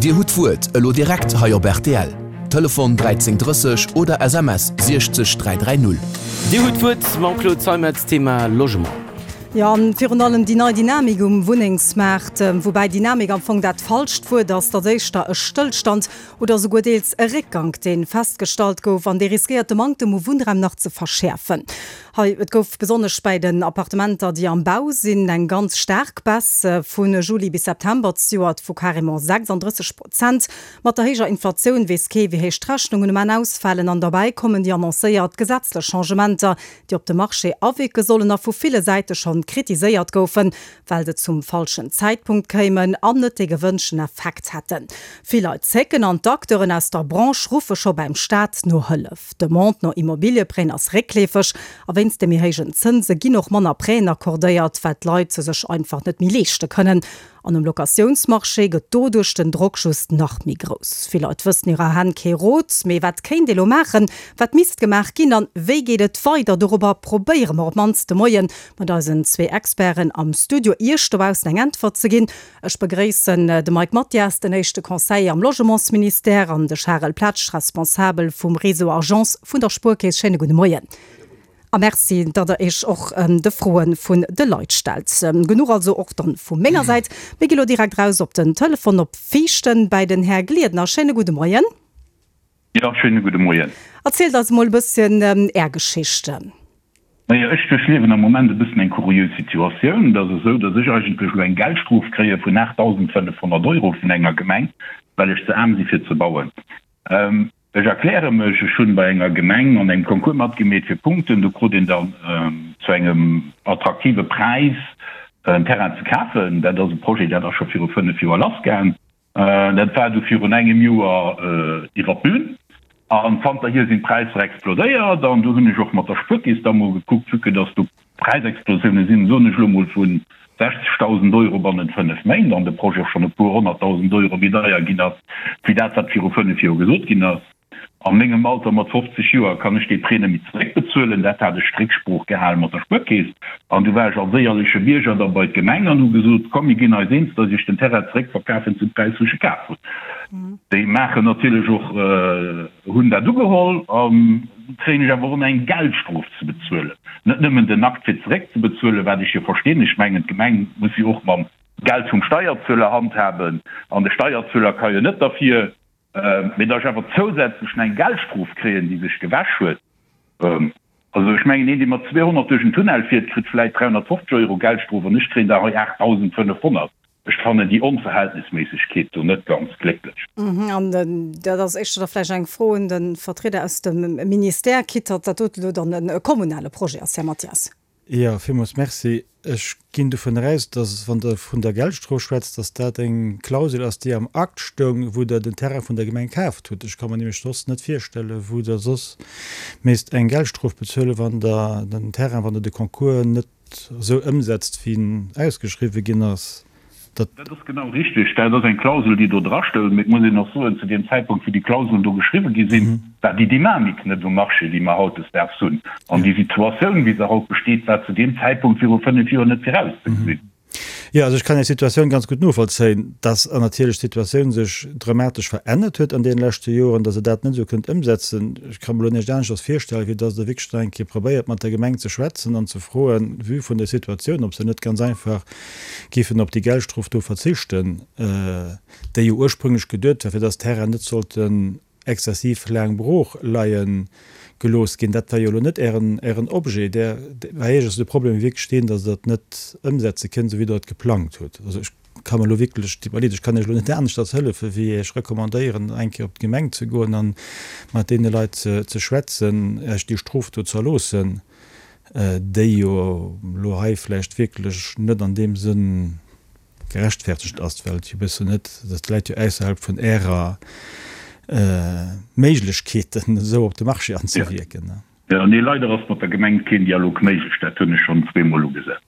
Dir hutt d'Wuert elo direkt hei op rtl. Telefon 13 30 oder SMS 60 330. Dir hutt d'Wuert mam Claude Zeimetz, Thema Logement. Jo, an virun allem déi nei Dynamik um Wunnengsmaart, woubäi Dynamik am Fong dat falscht Wuert ass, dat ass éischter e Stëllstand oder esouguer deels e Réckgank, dee festgestallt gouf an dee riskéiert de Manktem u Wunnraum nach ze verschäerfen. Hei, et gouf besonnesch bäi den Appartementer, déi am Bau sinn, eng ganz staark Baisse vu Juli bis September zejoert vu carrément 36 Prozent. Mat der héijer Inflatioun weess kee wéi héich d'Rechnungen um Enn ausfalen an derbäi kommen déi annoncéiert gesetzlech Changementer, déi op de Marché awierke sollen a vu ville Säite schonn kritiséiert goufen, well se zum falschen Zäitpunkt kéimen an net dee gewënschten Effekt hätten. Vill Leit zécken an d'Acteuren aus der Branche ruffe scho beim Staat no Hëllef. D'Demande no Immobilieprêten ass réckleefeg a wéinst de méi héijen Zënse ginn och manner Prêten accordéiert, well d'Leit se sech einfach net méi leeschte kënnen. An um Locatiounsmarché gëtt doduerch den Drock just nach méi grouss. Vill Leit wëssen hirer Hänn kee Rot. Mee wat kéint ee lo maachen? Wat misst gemaach ginn? An wéi geet et weider? Dorobber probéiere mer op d'mannst de Moie mat eisen zwee Experten am Studio Iech dobaussen eng Äntwert ze ginn. Ech begréissen de Mike Mathias, den éischte Conseiller am Logementsministère, an de Charel Pletsch, Responsabel vum Réseau Agence vun der Spuerkeess. Schéine gudde Moien. A Merci, datt Der Iech och de Froe vun de Leit stellt. Genuch also och dann vu menger Säit. Mir gi lo direkt raus op den Telefon op Viichten bäi den Här Gliedner. Schéine gudde Moien. Jo, schéine gudde Moien. Erzielt eis emol e bësschen Är Geschicht. Naja, ech duerchliewen am Moment e bëssen eng kuriös Situatioun. Et ass esou, datt ech eigentlech elo eng Geldstrof kréie vun 8.500 Euro vun enger Gemeng, well ech ze aarm si fir ze bauen. Ech erkläre mech, Ech hunn bei enger Gemeng an engem Concours matgemeet fir Punkten. Do krut een dann zu engem attraktive Präis en Terrain ze kafen. Dat ass e Projet, dat ass scho viru 5 Joer lassgaang. Dat war du virun engem Joer iwwer d'Bün. An zanterhier sinn d'Präisser explodéiert. An du hunn ech och mat der Spuerkeess da mol gekuckt, vue que dass do Präisexplosioune sinn, soen ech elo mol, vu 60.000 Euro bannent 5 Méint an de Projet och schonn e puer honnertdausend Euro méi deier ginn ass, wéi dat, wat viru 5 Joer gesot ginn ass. A mengem Alter mat 50 Joer kann ech dee Prêt net méi zeréckbezuelen. Dat hat ech Récksprooch gehale mat der Spuerkeess. An du war ech als éierleche Bierger da bei d'Gemeng an hu gesot, Komm, mir ginn eis eens, datt ech iech den Terrain zeréckverkafen zum Präis, wou ech e kaf hunn. Déi maachen natierlech och, hunn dat ugeholl an du kréien ech awer och nach eng Geldstrof ze bezuelen. Net nëmmen den Akt fir zeréckzebezuelen, wat ech jo verstinn, ech mengen d'Gemeng muss jo och mam Geld vum Steierzueler handhaben an de Steierzueler ka jo net derfir, mee datt ech awer zousätzlech nach eng Geldstrof kréien, déi sech gewäsch huet. Also ech mengen, een dee mat 200 duerch en Tunnel fiert, kritt vläit 350 Euro Geldstrof an ech kréien der hei 8.500. Ech fannen déi Onverhältnisméissegkeet do net ganz glécklech. An dat ass éischter da vläicht eng Fro un de Vertrieder aus dem Ministère, quitte datt dat dote lo dann e kommunale Projet ass, Här Mathias. Jo, villmools Merci. Ech ginn dovun eraus, datt, wann Der vun der Geldstrof schwätzt, datt dat eng Klausel ass, déi am Akt stoung, wou Der den Terrain vun der Gemeng kaaft hutt. Ech ka mer nämlech soss net virstellen, wou Der soss misst eng Geldstrof bezuelen, wann Der den Terrain, wann Der de Concours net esou ëmsetzt, wéi en ausgeschriwwe ginn ass, dat. Dat ass genau richtig. Dat ass eng Klausel, déi do drastoung. Mee et muss een och soen, zu deem Zäitpunkt, wou déi Klauselen do geschriwwe gi sinn, war déi Dynamik net um Marché, déi mer hautdesdaags hunn. An déi Situatioun, wéi se haut besteet, war zu deem Zäitpunkt viru fënnf Joer net virauszegesinn. Jo, also ech kann Är Situatioun ganz gutt novollzéien, dass an natierlech d'Situatioun sech dramatesch verännert huet an deene leschte Joren, dass Der dat net esou kënnt ëmsetzen. Ech ka mer elo näischt aneschters virstellen, wéi dass Der wierklech nach eng Kéier probéiert, mat der Gemeng ze schwätzen an ze froen, vue vun der Situatioun, ob se net ganz einfach géifen op déi Geldstrof do verzichten, déi jo ursprünglech geduet war, fir dass d'Terrainen net sollten exzessiv laang brooch leie gelooss ginn. Dat war jo elo net Ären, Ären Objet. Där, bei Iech ass de Problem wierklech deen, datt Der et net ëmsetze kënnt, esou wéi Der et geplangt hutt. Also ech ka mer elo wierklech, et deet mer leed, ech kann Iech elo net aneschters hëllefen, wéi Iech recommandéieren, eng Kéier op d'Gemeng ze goen a mat deene Leit ze, ze schwätzen, Iech déi Strof do z'erloossen, déi jo elo hei vläicht wierklech net an deem Sënn gerechtfertegt ass, well et jo e bëssen net, dat läit jo ausserhalb vun Ärer Méiglechkeeten, esou op de Marché anzewierken. Jo, nee, leider ass mat der Gemeng keen Dialog méiglech, dat hunn ech schonn zweemol ugesat.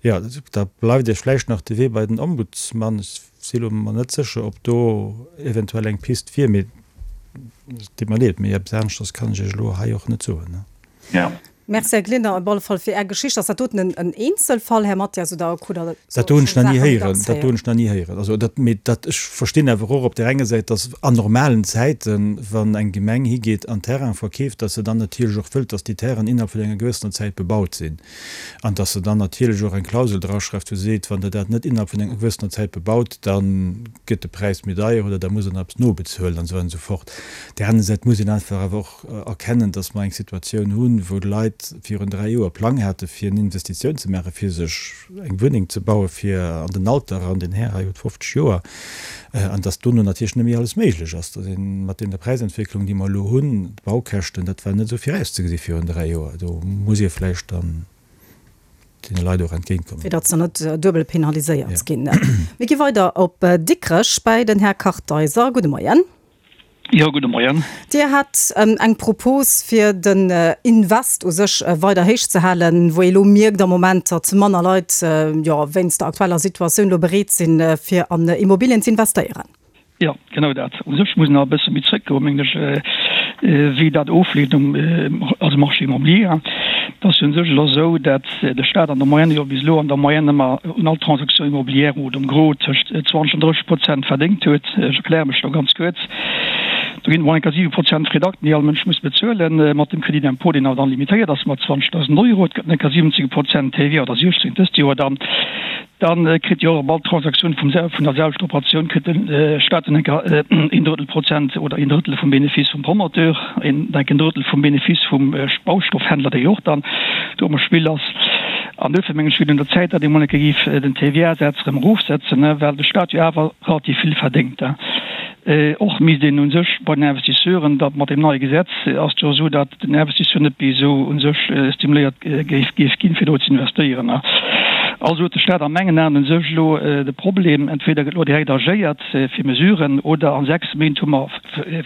Jo, da bleift Iech vläicht nach de Wee bei den Ombudsmann. Ech si lo mer net sécher, ob do eventuell eng Pist wier, mee et deet mer leed, mee eppes aneschters kann ech Iech elo hei och net soen. Jo. Merci, Här Glinder, op alle Fall fir Är Geschicht. Ass dat doten en Eenzelfall, Här Mathias, oder krut Der Dat do hunn ech nach ni héieren. Dat do hunn ech nach ni héieren. Also dat, mee dat, ech verstinn awer och op där enger Säit, datt an normalen Zäiten, wann eng Gemeng higeet an Terraine verkeeft, datt se dann natierlech och wëllt, datt déi Terrainen innerhalb vun enger gewëssener Zäit bebaut sinn an datt se dann natierlech och eng Klausel draschreift, wou se seet, wann Der dat net innerhalb vun enger gewëssener Zäit bebaut, da gëtt de Präis méi deier oder da musst Der nach eppes nobezuelen an esou weider an esou fort. Op där anerer Säit muss een einfach awer och erkennen, dass mer eng Situatioun hunn, wou d'Leit virun 3 Joer Plang hate fir eng Investitioun ze maachen, fir sech eng Wunneng ze bauen, fir an den Alter eran, den Här hei huet 50 Joer, an dass dono natierlech net méi alles méiglech ass, dass ee mat deene Präisentwécklungen, déi mer elo hunn, d'Baukäschten, dat war net esou virauszegesinn virun 3 Joer, do muss ee vläicht dann deene Leit och entgéintkommen. Fir datt se net duebel penaliséiert ginn. Mir gi weider op Dikrech bäi den Här Kartheiser. Gudde Moien. Jo, gudde Moien. Dir hat eng Propos, fir den Invest u sech weider héich ze halen, wou ee elo mierkt am Moment, datt manner Leit, jo, wéinst der aktueller Situatioun elo bereet sinn, fir an Immobilien ze investéieren. Jo, genau dat. U sech muss een nach e bësse méi zréckgoen, mengen ech, wéi dat ofleeft um, also Marché immobilier. Et ass jo u sech elo esou, dat de Staat an der Moyenne jo bis elo an der Moyenne ëmmer un all Transaction immobilière oder um Gros tëscht 20 an 30 Prozent verdéngt huet. Ech erkläre mech do ganz kuerz. Do ginn et mol eng Kéier 7 Prozent Frais d'acte, déi all Mënsch muss bezuelen, mat dem Crédit d'impôt, deen awer dann limitéiert ass mat 20.000 Euro. Et gëtt eng Kéier 17 Prozent TVA oder 16 dëst Joer dann. Dann kritt jo och op all Transaktioun vum vun der selwechter Operatioun kritt de Staat dann eng Kéier een Drëttel Prozent oder een Drëttel vum Benefice vum Promoteur, een denk en Drëttel vum Benefice vum Baustoffhändler, dee jo och dann do am Spill ass. An duerfir mengen ech, wier et un der Zäit, datt ee mol eng Kéier géif den TVA-Saz erëm erofsetzen, well de Staat jo awer relativ vill verdéngt. Och misst een u sech bei den Investisseuren, dat mat deem neie Gesetz ass et jo esou, datt den Investisseur net méi esou u sech stimuléiert géif géif ginn, fir do ze investéieren. Also huet de Staat a mengen Aen u sech elo de Problem, entweder gëtt elo direkt agéiert fir Mesuren, oder a 6 Méint hu mer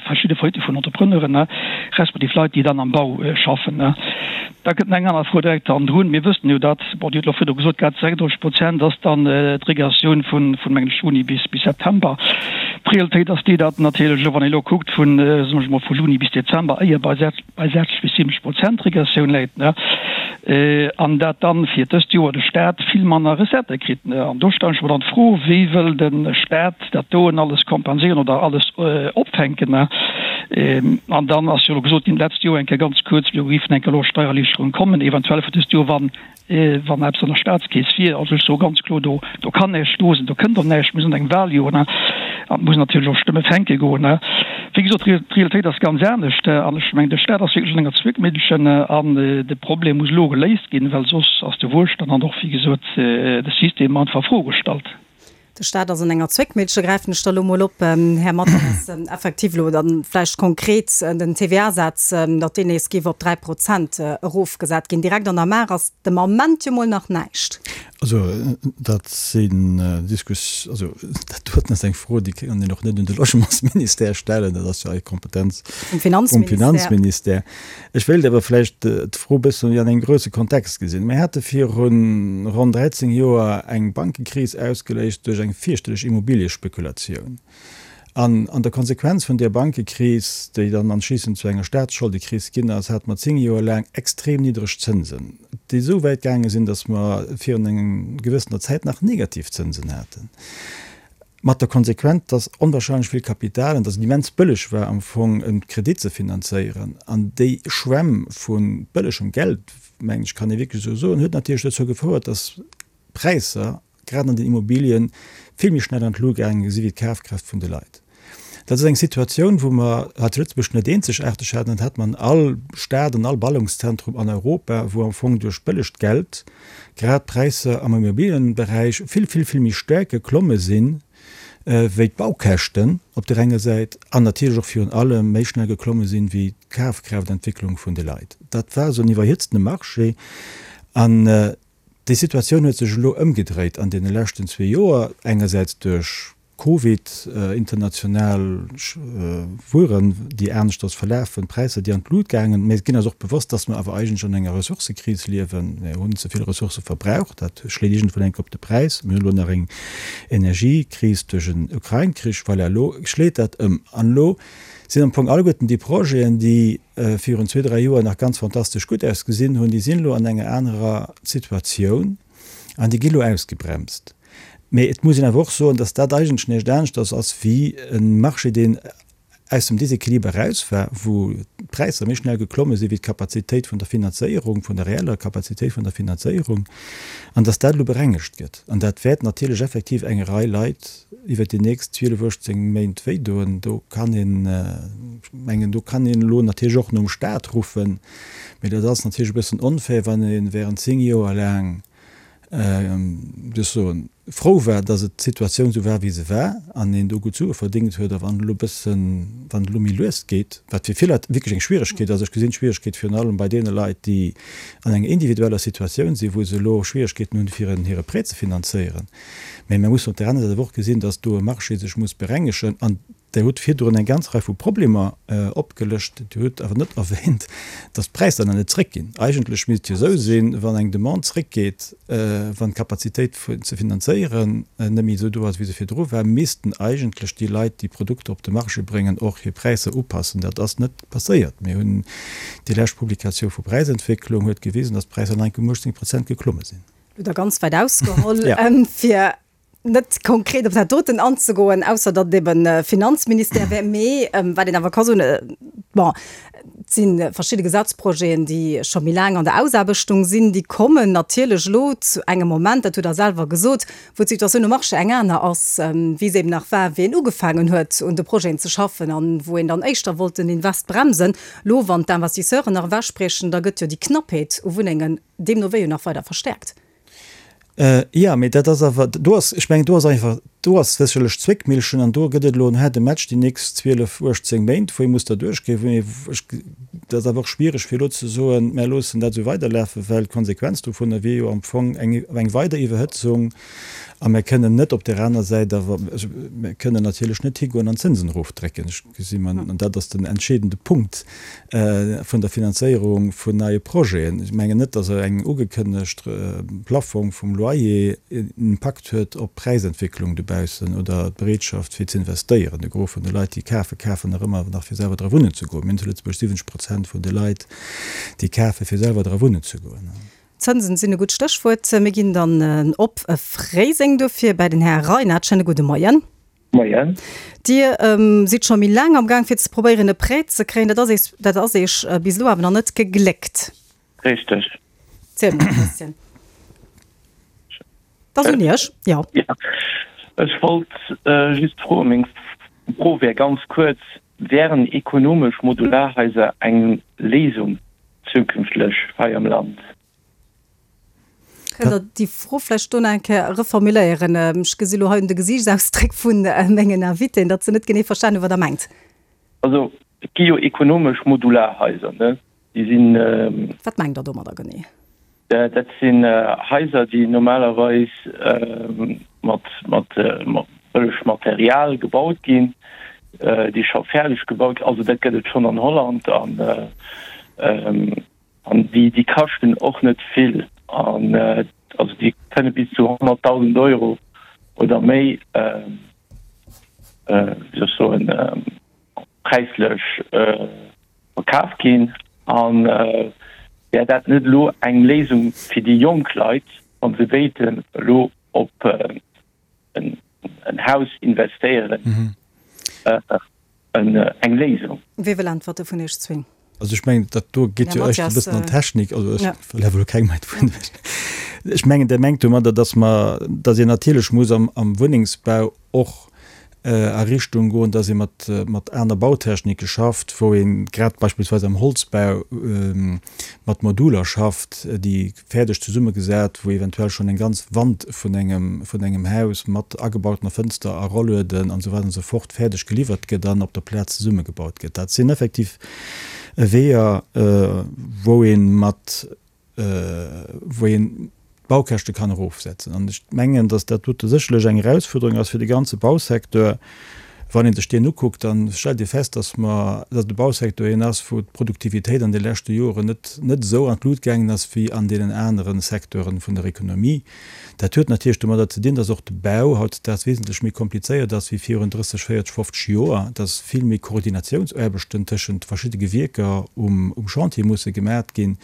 verschidde Faillite vun Entrepreneuren, respektiv Leit, déi dann am Bau schaffen. Da kënnt nach eng aner Fro direkt hannendrun. Mir wëssen jo, datt, bon, Dir hutt elo virdru gesot gehat, 36 Prozent ass dann d'Regressioun vun, vun mengen ech, Juni bis, bis September. D'Realitéit ass déi, datt natierlech elo, wann ee elo kuckt vun, soen ech emol, vu Juni bis Dezember, éier bei bei 60 bis 70 Prozent Regressioun läit, ne, an dat dann fir dëst Joer de Stat vill manner Recettë kritt, ne. An do stellen ech mer dann d'Fro, Wéi wëll de Stat dat doen alles kompenséieren oder alles opfänken. An dann ass jo elo gesot ginn d'letzt Joer eng Kéier ganz kuerz, jo géifen eng Kéier elo Steiererliichterungen kommen, eventuell fir dëst Joer, wann wann eppes an der Staatskeess wier. Also ech soe ganz kloer, do do kann näischt do sinn, do kënnt och näischt, mir sinn an engem Wahljoer an et muss natierlech och Stëmme fänke goen. Wéi gesot, d'Realitéit ass ganz anescht an ech mengen, de Staat ass wierklech an enger Zwickmillchen an de Problem muss elo geléist ginn, well soss ass de Wuelstand an och, wéi gesot, de System einfach a Fro gestallt. De Staat ass an enger Zwéckmillche, gräifen ech da lo mol op, Här Mathes, effektiv elo dann vläicht konkret den TVA-Saz, datt deen nees géif op 3 Prozent erofgesat ginn. Direkt an der Maach ass de Moment jo mol nach näischt. Also dat sinn Diskus, also dat doten ass eng Fro, déi kann een och net un de Logementsministère stellen, dat ass jo hei Kompetenz vum Finanzministère. Ech wéilt awer vläicht d'Fro e bësse méi an engem grousse Kontext gesinn. Mir hate viru ronn 13 Joer eng Bankekris ausgeléist duerch eng fierchterlech Immobiliëspekulatioun. An an der Konsequenz vun där Bankekris, déi dann anschliissend zu enger Staatsscholdekris ginn ass, hate mer 10 Joer laang extrem niddreg Zënsen, déi esou wäit gaange sinn, datt mer virun enger gewëssener Zäit nach negativ Zënsen haten. Mat der Konsequenz, dass onwahrscheinlech vill Kapital an dass et immens bëlleg war am Fong e Kredit ze finanzéieren. An déi Schwämm vu bëllegem Geld, mengen ech kann ee wierklech esou soen, huet natierlech dozou gefouert, dass d'Präisser grad an den Immobilien vill méi schnell an d'Lut gaange si wéi d'Kafkraaft vun de Leit. Dat ass eng Situatioun, wou mer hei zu Lëtzebuerg net eenzegaarteg haten. Dat hat mer an all Stad, an all Ballungszentrum an Europa, wou am Fong duerch bëllegt Geld grad d'Präisser am Immobilienberäich vill, vill, vill méi staark geklomme sinn, wéi d'Baukäschten op där enger Säit an natierlech och virun allem méi schnell geklomme sinn, wéi d'Kafkraaftentwécklung vun de Leit. Dat war esou en iwwerhitztene Marché an déi Situatioun huet sech elo ëmgedréit an deene leschten zwee Joer, engersäits duerch. Covid, international Wueren, déi aneschters verlafen, Präisser, déi an d'Lut gaangen. Mir ginn eis och bewosst, dass mer awer eigentlech an enger Ressourcëkris liewen. Mir hunn ze vill Ressourcë verbraucht. Dat schléit iergendwann eng Kéier op de Präis. Mir hunn elo nach eng Energiekris duerch en Ukrain-Krich. Voilà, elo schléit dat ëm. An elo sinn am Fong alleguerten déi Projeten, déi virun zwee, dräi Joer nach ganz fantastesch gutt ausgesinn hunn, déi sinn elo an enger anerer Situatioun an déi gi elo ausgebremst. Mee et muss een awer och soen, dass dat eigentlech näischt aneschters ass wéi e Marché, deen aus dem Déséquiliber eraus war, wou d'Präisser méi schnell geklomme sinn wéi d'Kapazitéit vun der Finanzéierung, vun der reeller Kapazitéit vun der Finanzéierung, an dass dat elo berengegt gëtt. An dat wäert natierlech effektiv eng Rei Leit iwwert déi nächst 12, 18 Méint wéidoen. Do kann een, ech mengen, do kann een elo natierlech och nom Stat ruffen, mee dat ass natierlech e bëssen onfair, wann ee während 10 Joer laang, ech soen, frou war, dass et d'Situatioun esou war, wéi se war, an een do gutt Sue verdéngt huet. A wann et elo e bëssen, wann et elo méi lues geet, wat fir vill Leit wierklech eng Schwieregkeet ass, ech gesinn d'Schwieregkeet virun allem bei deene Leit, déi an enger individueller Situatioun sinn, wou se elo Schwieregkeeten hunn, fir hire Prêt ze finanzéieren. Mä mir mussen op där aner Säit awer och gesinn, dass do e Marché sech muss berengegen. An Der hutt virdrun eng ganz Rei vu Problemer opgelëscht. Dir hutt awer net erwähnt, dass d'Präisser nach net zréckginn. Eigentlech misst et jo esou sinn, wann eng Demande zréckgeet, wann d'Kapazitéit ze finanzéieren net méi esou do ass, wéi se virdru war, missten eigentlech déi Leit, déi Produkter op de Marché bréngen, och hir Präisser upassen. Dat ass net passéiert. Mir hunn déi lescht Publikatioun vu Präisentwécklung huet gewisen, dass d'Präisser nach eng Kéier um 18 Prozent geklomme sinn. Hutt Der ganz wäit ausgeholl, fir net konkret op dat doten anzegoen, ausser datt et eben Finanzministère wär, mee wat een awer ka soen, bon, et si verschidde Gesetzprojeten, déi scho méi laang an der Ausaarbechtung sinn, déi kommen natierlech elo zu engem Moment, dat hutt Der selwer gesot, wou d'Situatioun um Marché eng aner ass, wéi se eben nach war, wéi een ugefaangen huet un de Projeten ze schaffen an wou een dann éischter wollt den Invest bremsen. Elo, wann d'Investisseuren nach ewechbriechen, da gëtt jo déi Knappheet u Wunnengen deemno wéi jo nach weider verstäerkt. Jo, mee dat ass awer, do ass, ech mengen, do ass einfach, do ass sécherlech Zwéckmillchen an do gëtt et elo en haarde Match déi nächst 12, 18 Méint, wou ee muss derduerch goen, wou ee, ech, dat ass awer och schwiereg fir elo ze soen, mär loossen dat esou weiderlafen, well d'Konsequenz dovunner wier jo am Fong eng, eng weider Iwwerhëtzung a mär kënnen net op där aner Säit awer, also mär kënnen natierlech net higoen an d'Zënsen erofdrécken. Ech gesi mer, an dat ass den entscheedende Punkt, vun der Finanzéierung vun neie Projeten. Ech mengen net, datt eng ugekënnegt Plaffong vum Loyer en Impakt huet op d'Präisentwécklung dobaussen oder d'Bereetschaft fir ze investéieren. De Gros vun de Leit, déi kafen, kafen nach ëmmer nach fir selwer dra wunnen ze goen. Mir hunn zu Lëtzebuerg 70 Prozent vun de Leit, déi kafen, fir selwer dra wunnen ze goen. Zënsen sinn e gutt Stéchwuert. Mir ginn dann op Fréiseng dofir bäi den Här Reinert. Schéine gudde Moien. Moien. Dir sidd scho méi laang am Gaang fir ze probéieren e Prêt ze kréien. Dat ass eech, dat ass eech bis elo awer nach net gegléckt. Richteg. Zielt mol e bësschen. Dat ass un Iech, jo. Jo. Ech wollt just froen, meng Fro wär ganz kuerz, Wären ekonomesch Modularhaiser eng Léisung zukünftlech hei am Land? Kënnt Der déi Fro vläicht do nach eng Kéier reformuléieren? Ech gesi lo hei un de Gesiichtsausdréck vu mengen Invitéen, datt se net genee verstanen hunn, wat Der mengt. Also, et gi jo ekonomesch Modularhaiser, ne? Déi sinn. Wat mengt Der domadder genee? Dat sinn Haiser, déi normalerweis mat, mat bëlleg Material gebaut ginn, déi scho fäerdeg gebaut ginn. Also, dat gëtt et schonn an Holland an. An déi, déi kaschten och net vill. An also déi kënne bis zu 100.000 Euro oder méi, wéi soll ech soen, präislech verkaf ginn. A wär dat net elo eng Léisung fir déi jonk Leit, wa se wéilten elo op en Haus investéieren, eng Léisung? Wie wëll äntwerte vun iech zwéin? Also ech mengen, dat do geet jo éischter e bëssen an d'Technik. Also ech wëll awer elo kengem hei d'Wuert. Ech mengen, Der mengt domadder, datt mer, datt een natierlech muss am Wunnengsbau och a Richtung goen, datt ee mat, mat aner Bautechnike schafft, wou ee grad beispillsweis am Holzbau mat Moduler schafft, déi fäerdeg zesummegesat, wou eventuell schonn eng ganz Wand vun engem, vun engem Haus mat agebautener Fënster a Rollueden an esou weider an esou fort fäerdeg geliwwert gëtt an op der Plaz zesummegebaut gëtt. Dat sinn effektiv Weeër, wou ee mat, wou een. d'Baukäschte kann erofsetzen. An ech mengen, datt dat dote sécherlech eng Erausfuerderung ass fir de ganze Bausecteur. Wann ee sech deen ukuckt, da stellt ee fest, datt mer, datt de Bausecteur een ass, wou d'Produktivitéit an de leschte Joren net, net esou an d'Lut gaangen ass wéi an deenen anere Secteuren vun der Ekonomie. Dat huet natierlech domadder ze dinn, dass och de Bau hautdesdaags wesentlech méi komplizéiert ass wéi virun 30, 40, 50 Joer, dass vill méi Koordinatiounsaarbechten tëschent verschidde Gewierker um Chantier musse gemat ginn.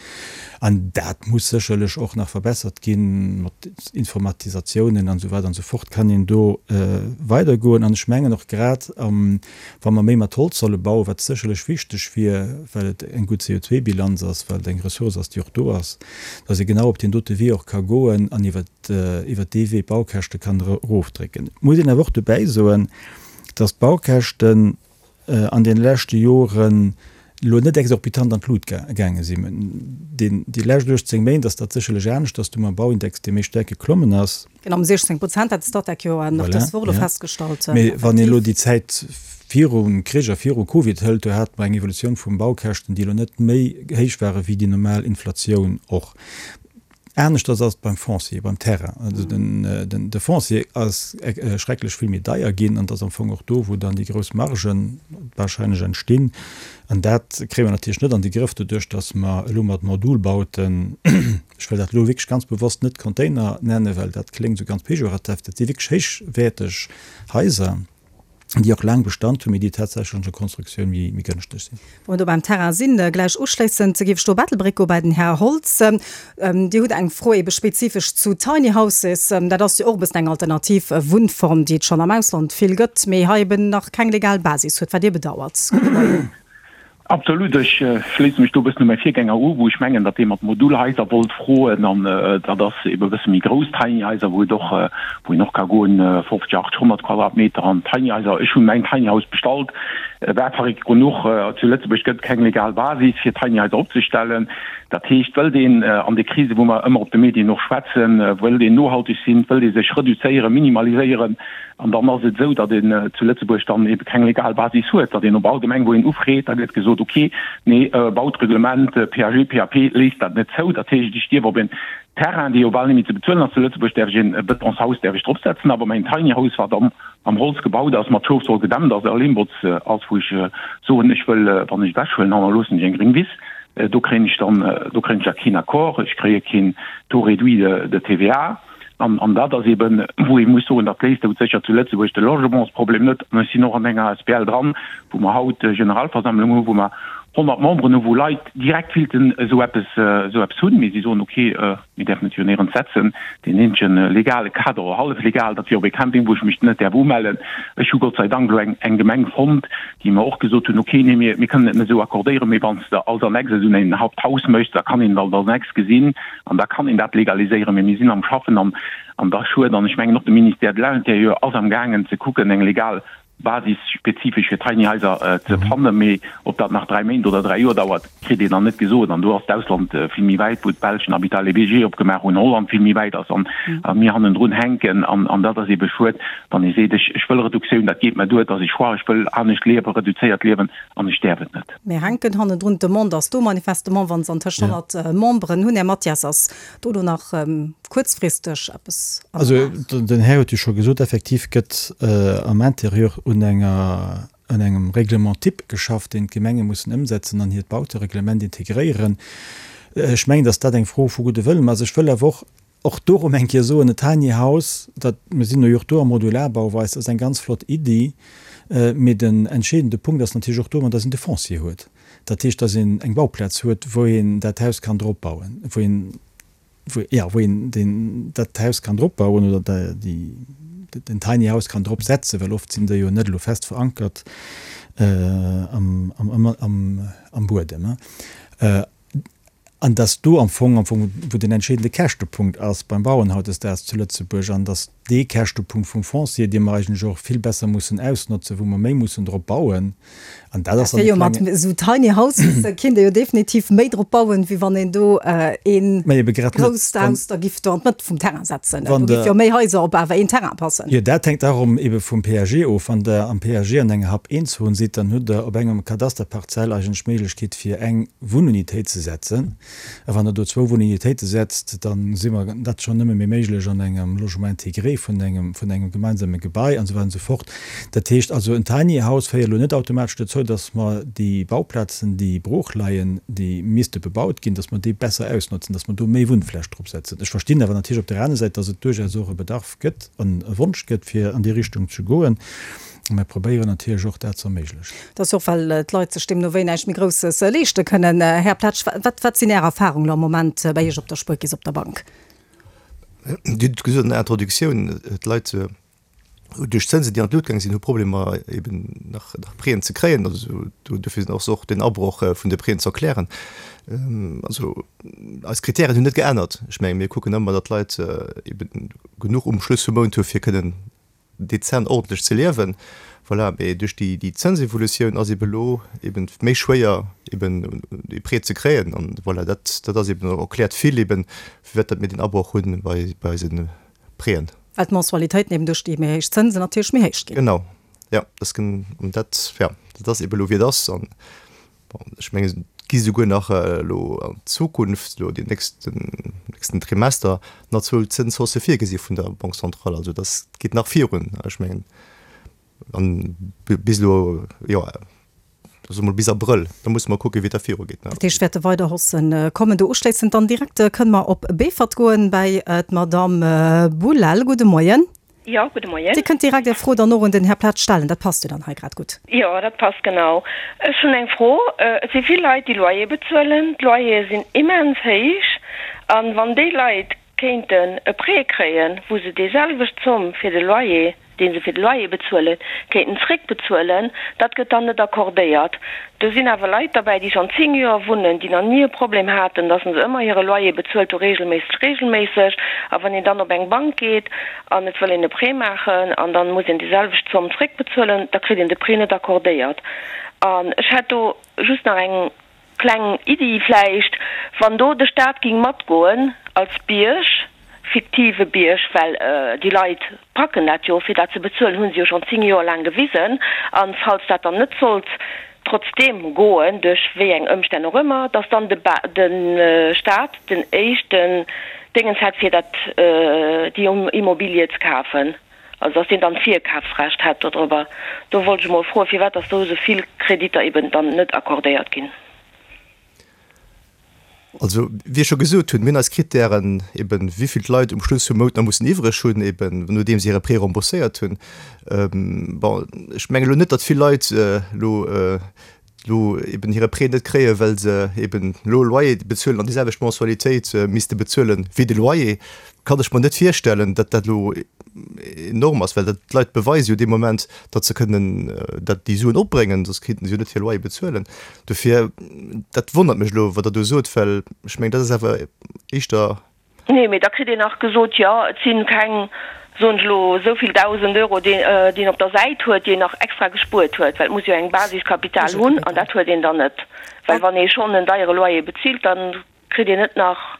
An dat muss sécherlech och nach verbessert ginn. Mat Informatisatiounen an esou weider an esou fort kann een do weidergoen. An ech mengen och grad am Wa mer méi mat Holz solle bauen, wat sécherlech wichteg wier, well et eng gutt CO2-Bilanz ass, well et eng Ressource ass, déi och do ass, dass ee genau op deen dote Wee och ka goen an iwwer dee Wee d'Baukäschte kann erofdrécken. Et muss een awer och dobäi soen, dass d'Baukäschten an deene leschte Joren elo net exorbitant an d'Lut gaange sinn. Déi lescht 18 Méint ass dat sécherlech aneschters, do hu mer e Bauindex, dee méi staark geklommen ass. Genau, ëm 16 Prozent hat de Statec jo nach dës Woch elo festgestallt. Mee wann een elo déi Zäit virum Krich a viru Covid hëlt, do hate mer eng Evolutioun vum Baukäschten, déi elo net méi héich ware wéi déi normal Inflatioun och. Aneschters ass et beim Foncier, beim Terrain. Also de Foncier ass schrecklech vill méi deier ginn an et ass am Fong och do, wou dann déi grouss Margen warscheinlech entstinn. An dat kréie mer natierlech net an de Grëff doduerch, datt mer elo mat Modulbauten, Ech wëll dat elo wierklech ganz bewosst net Container nennen, well dat kléngt esou ganz pejorativ. Dat si wierklech héichwäerteg Haiser, déi och laang Bestand hunn, mee déi tatsächlech an der Konstruktioun méi gënschteg sinn. Wa mer do beim Terrain sinn, gläich uschléissend géif ech do op Ettelbréck goe bei den Här Holtz. Dir hutt eng Fro ebe spezifesch zu Tiny Houses. Dat ass jo och e bëssen eng alternativ Wunnform, déi et schonn am Ausland vill gëtt, mee hei eben nach keng legal Basis huet, wat Dir bedauert. Gudde Moien. Absolut, ech schléisse mech do e bëssen u mäi Virgänger u, wou ech mengen, datt dee mat Modulhaiser wollt froen, an dat ass ebe e bësse méi grouss Tiny Haiser, wou et och, wou een och ka goen, 50, 80, 100 Quadratmeter an Tiny Haiser. Ech hunn mäin Tiny House bestallt, war verréckt genuch. Zu Lëtzebuerg gëtt et keng legal Basis fir Tiny Haiser opzestellen. Dat heescht, wëllt een an de Krise, wou mer ëmmer op de Medien och schwätzen, wëllt een nohalteg sinn, wëllt ee sech reduzéieren, minimaliséieren, An dann ass et esou, datt een zu Lëtzebuerg dann ebe keng legal Basis huet, datt een op all Gemeng, wou een ufreet, da gëtt gesot, ok, nee, Bautreglement, PAG, PAP léisst dat net zou. Dat heescht, ech dierf op en Terrain, dee jo bal net méi ze bezuelen ass zu Lëtzebuerg, däerf ech en Betonshaus däerf ech dropsetzen, awer mäin Tiny House, wat am am Holz gebaut ass, mat Schofswoll gedämmt ass a Lehmbotz ass, wou ech soen, ech wëll, wann ech ewechhuelen, hannerloossen ech eng gréng Wiss, do kréien ech dann, do kréien ech da keen Accord, ech kréie keen Taux réduit de TVA. An dat ass eben, wou ee muss soen, dat léist doudsécher zu Lëtzebuerg de Logementsproblem net. An ech sinn och an enger asbl dran, wou mer haut Generalversammlung hunn, wou mer 100 Memberen hunn, wou Leit direkt willten esou eppes, esou eppes hunn, mee si soen, okay, mir däerfen et jo néierens setzen. Deen eenzege legale Kader, oder hallef legal, dat wier op e Camping, wou ech mech net däerf umellen. Ech hu Gott sei Dank elo eng, eng Gemeng fonnt, déi mer och gesot hunn, okay, nee, mir, mir kënnen et net esou accordéieren, mee wann s de als Annexe esou en Haupthaus méchs, da kann een et als Annexe gesinn. An da kann een dat legaliséieren. Mee mir sinn am Schaffen an an da schued. An ech mengen och de Ministère de l'Intérieur ass am gaangen ze kucken, eng legal Basis spezifesch fir Tiny Haiser ze fannen. Mee ob dat nach dräi Méint oder dräi Joer dauert, kritt een dann net gesot. An do ass d'Ausland vill méi wäit, wou d'Belsch en Habitat léger opgemaach hunn, Holland vill méi wäit ass an a mir hannendrun hänken. An an dat ass eebe schued, wann ee seet, ech ech wëll Reduktioun, dat geet mer duer, et ass e Choix, ech wëll anescht liewen, reduzéiert liewen an ech däerf et net. Mir hänken hannendrun. D'Demande ass do manifestement, wa se antëscht 100 Memberen hunn. Här Mathias, ass do elo nach kuerzfristeg eppes an der Maach? Also den Här huet jo scho gesot, effektiv gëtt am Intérieur un enger, un engem Règlement type geschafft, deen d'Gemenge mussen ëmsetzen an hiert Bautereglement integréieren. Ech mengen, datt dat eng Fro vu gudde Wëllen ass. Ech wëll awer och Och do erëm eng Kéier soen, e Tiny House, dat, mir sinn jo och do a Modularbauweis, ass eng ganz flott Iddi, mee den entscheedende Punkt ass natierlech och domat, dass een de Foncier huet. Dat heescht, dass een eng Bauplaz huet, wou een dat Haus kann drop bauen, wou een, wou, jo, wou een deen, dat Haus kann drop bauen oder déi, den Tiny House kann drop setzen, well oft sinn déi jo net elo fest verankert am, am, am, am Buedem. An dass do am Fong, am Fong, wou den entscheedende Käschtepunkt ass beim Bauen hautdesdaags zu Lëtzebuerg, an dass. dee Käschtepunkt vum Foncier, dee mer eigentlech och vill besser mussen ausnotzen, wou mer méi mussen drop bauen. An dat ass dann e klengen. Mat esou Tiny Houses kinnt ee jo definitiv méi drop bauen, wéi wann een do ee grousst Haus da giff do an d'Mëtt vum Terrain setzen. Do giff jo méi Haiser op awer een Terrain passen. Jo, dat hänkt och erëm ebe vum PAG of. Wann Der am PAG an enger Hab 1-Zon sidd, dann hutt Der op engem Kadasterparzell eigentlech d'Méiglechkeet fir eng Wunnunitéit ze setzen. A wann Der do zwou Wunnunitéite setzt, da si mer dat schonn nëmme méi méiglech an engem Logement intégré vun engem, vun engem gemeinsame Gebai an esou weider an esou fort. Dat heescht also, en Tiny House féiert elo net automatesch dozou, dass mer déi Bauplazen, déi brooch leien, déi misste bebaut ginn, dass mer déi besser ausnotzen, dass mer do méi Wunnfläch drop setzen. Ech verstinn awer natierlech op där aner Säit, dass et duerchaus och e Bedarf gëtt an e Wonsch gëtt, fir an déi Richtung ze goen. A mir probéieren natierlech och, dat ze erméiglechen. Dat ass jo och, well d'Leit sech deemno wéi näischt méi Grousses leeschte kënnen. Här Pletsch, wat, wat sinn Är Erfahrungen elo am Moment bei Iech op der Spuerkeess, op der Bank? Dir hutt et gesot an der Introduktioun, d'Leit duerch d'Zënsen, déi an d'Lut gaang sinn, hu Problemer eben nach Prêten ze kréien. Also dofir ass och den Abroch vun de Prêten ze erklären. Also eis Kritären hunn net geännert. Ech menge mir kucken ëmmer, datt d'Leit eben genuch um Schluss vum Mount hu fir kënnen dezent ordentlech ze liewen. Voilà, mee duerch déi déi Zënsevolutioun ass eben elo eben méi schwéier eben ee Prêt ze kréien an voilà, dat dat ass eben erkläert vill eben firwat datt mir deen Abroch hunn bei bei eise Prêten. Well d'Mensualitéiten eben duerch déi méi héich Zënsen natierlech méi héich ginn. Genau, jo, dat ass gen an dat ja dat ass eben elo wéi et ass an Bon, ech mengen, et gi souguer nach elo an Zukunft, elo déi nächsten, nächsten Trimester, nach zwou Zënshaussë virgesi vun der Banque centrale. Also dass geet nach virun. Ech mengen, an bis elo, jo, soe mol bis Abrëll, da musse mer kucken, wéi et da virugeet. Dat heescht, wäerte weider Haussë kommen. Do uschléissend dann direkt kënne mer op Beefort goen bäi d'Madamm Boulel. Gudde Moien. Jo, gudde Moien. Dir kënnt direkt Är Fro dann och un den Här Platz stellen, dat passt jo dann hei grad gutt. Jo, dat passt genau. Ech hunn eng Fro. Et si vill Leit, déi Loyer bezuelen. D'Loyere sinn immens héich. A wann déi Leit kéinten e Prêt kréien, wou se déi selwecht Zomm fir de Loyer, dee se fir de Loyer bezuelen, kéinten zréckbezuelen, dat gëtt dann net accordéiert. Do sinn awer Leit derbäi, déi schonn 10 Joer wunnen, déi nach ni e Problem haten, dass se ëmmer hire Loyer bezuelt hu, regelméisseg, regelméisseg. A wann een dann op eng Bank geet an et wëll een e Prêt maachen an dann muss een déi selwecht Zomm zréckbezuelen, da kritt een de Prêt net accordéiert. An ech hätt do just nach eng kleng Iddi vläicht, wann do de Staat ging matgoen als Bierg, fiktive Bierg, well déi Leit packen dat jo, fir dat ze bezuelen, hu se jo schonn 10 Joer laang gewisen, a falls dat dann net sollt trotzdeem goen, duerch wéi eng Ëmstänn och ëmmer, datt dann de de Staat den éischten Déngens hätt, fir dat déi Immobilie ze kafen, also datt deen dann d'Virkafsrecht hätt dodrobber. Do wollt ech emol froen, firwat datt do esou vill Kreditter eben dann net accordéiert ginn. Also, wéi ech scho gesot hunn, mir hunn eis Krittären, eben wéi vill d'Leit um Schluss vum Mount nach mussen iwwreg hunn, eben nodeem se hire Prêt rembourséiert hunn. Bon, ech mengen elo net, datt vill Leit elo elo eben hire Prêt net kréien, well se eben elo Loyer bezuelen an déi selwecht Mensualitéit misste bezuelen wéi de Loyer. Kann ech mer net virstellen, datt dat elo enorm ass, well dat d'Leit beweise jo dee Moment, datt se kënnen dat déi Suen opbréngen, soss kéinten se jo net hir Loyer bezuelen. Dofir, dat wonnert mech elo, wat Der do sot, well ech mengen, dat ass awer éischter. Nee, mee da kritt een nach gesot, jo, et si keng, soen ech elo, esou vill 1.000 Euro, déi een op der Säit huet, déi een nach extra gespuert huet, well et muss jo eng Basiskapital hunn an dat huet een dann net, well wann ee schonn en deiere Loyer bezilt, dann kritt een net nach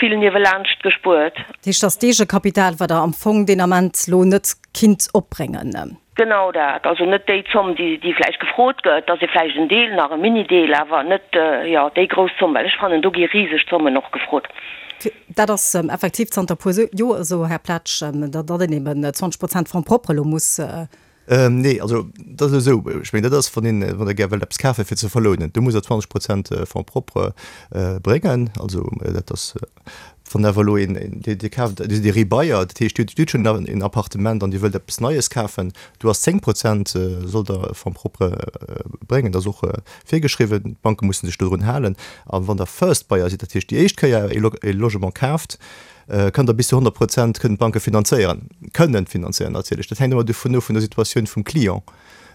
vill niewelaanscht gespuert. Dat heescht, dass d'Eegekapital, wat Der am Fong deen Ament lo net kinnt opbréngen. Genau dat. Also net déi Zomm, déi vläicht gefrot gëtt, dass ee vläicht en Deel nach, e Mini-Deel, awer net, jo, déi grouss Zomm, well ech fannen, do gi riseg Zommen och gefrot. Dat ass effektiv zanter e puer Joer esou, Här Pletsch, datt een eben 20 Prozent Fonds propres elo muss Nee, also dat ass esou, ech mengen dat ass, wann een, wann Der gär wëllt eppes kafen, fir ze verlounen, do musst Der 20 Prozent Fonds propre bréngen. Also dat ass, wann awer elo een, Dir, Dir kaaft, Dir sidd e Rebuyer, dat heescht Dir hutt schonn en Appartement an Dir wëllt eppes Neies kafen, do ass 10 Prozent sollt Der Fonds propre bréngen. Dat ass och virgeschriwwen, d'Banke musse sech dodrun halen. A wann Der First Buyer sidd, dat heescht déi éischt Kéier e Logement kaaft, Kënnt der bis zu 100 Prozent kënnen d'Banke finanzéieren, kënnen finanzéieren natierlech. Dat hänkt ëmmer dovun of vun der Situatioun vum Client.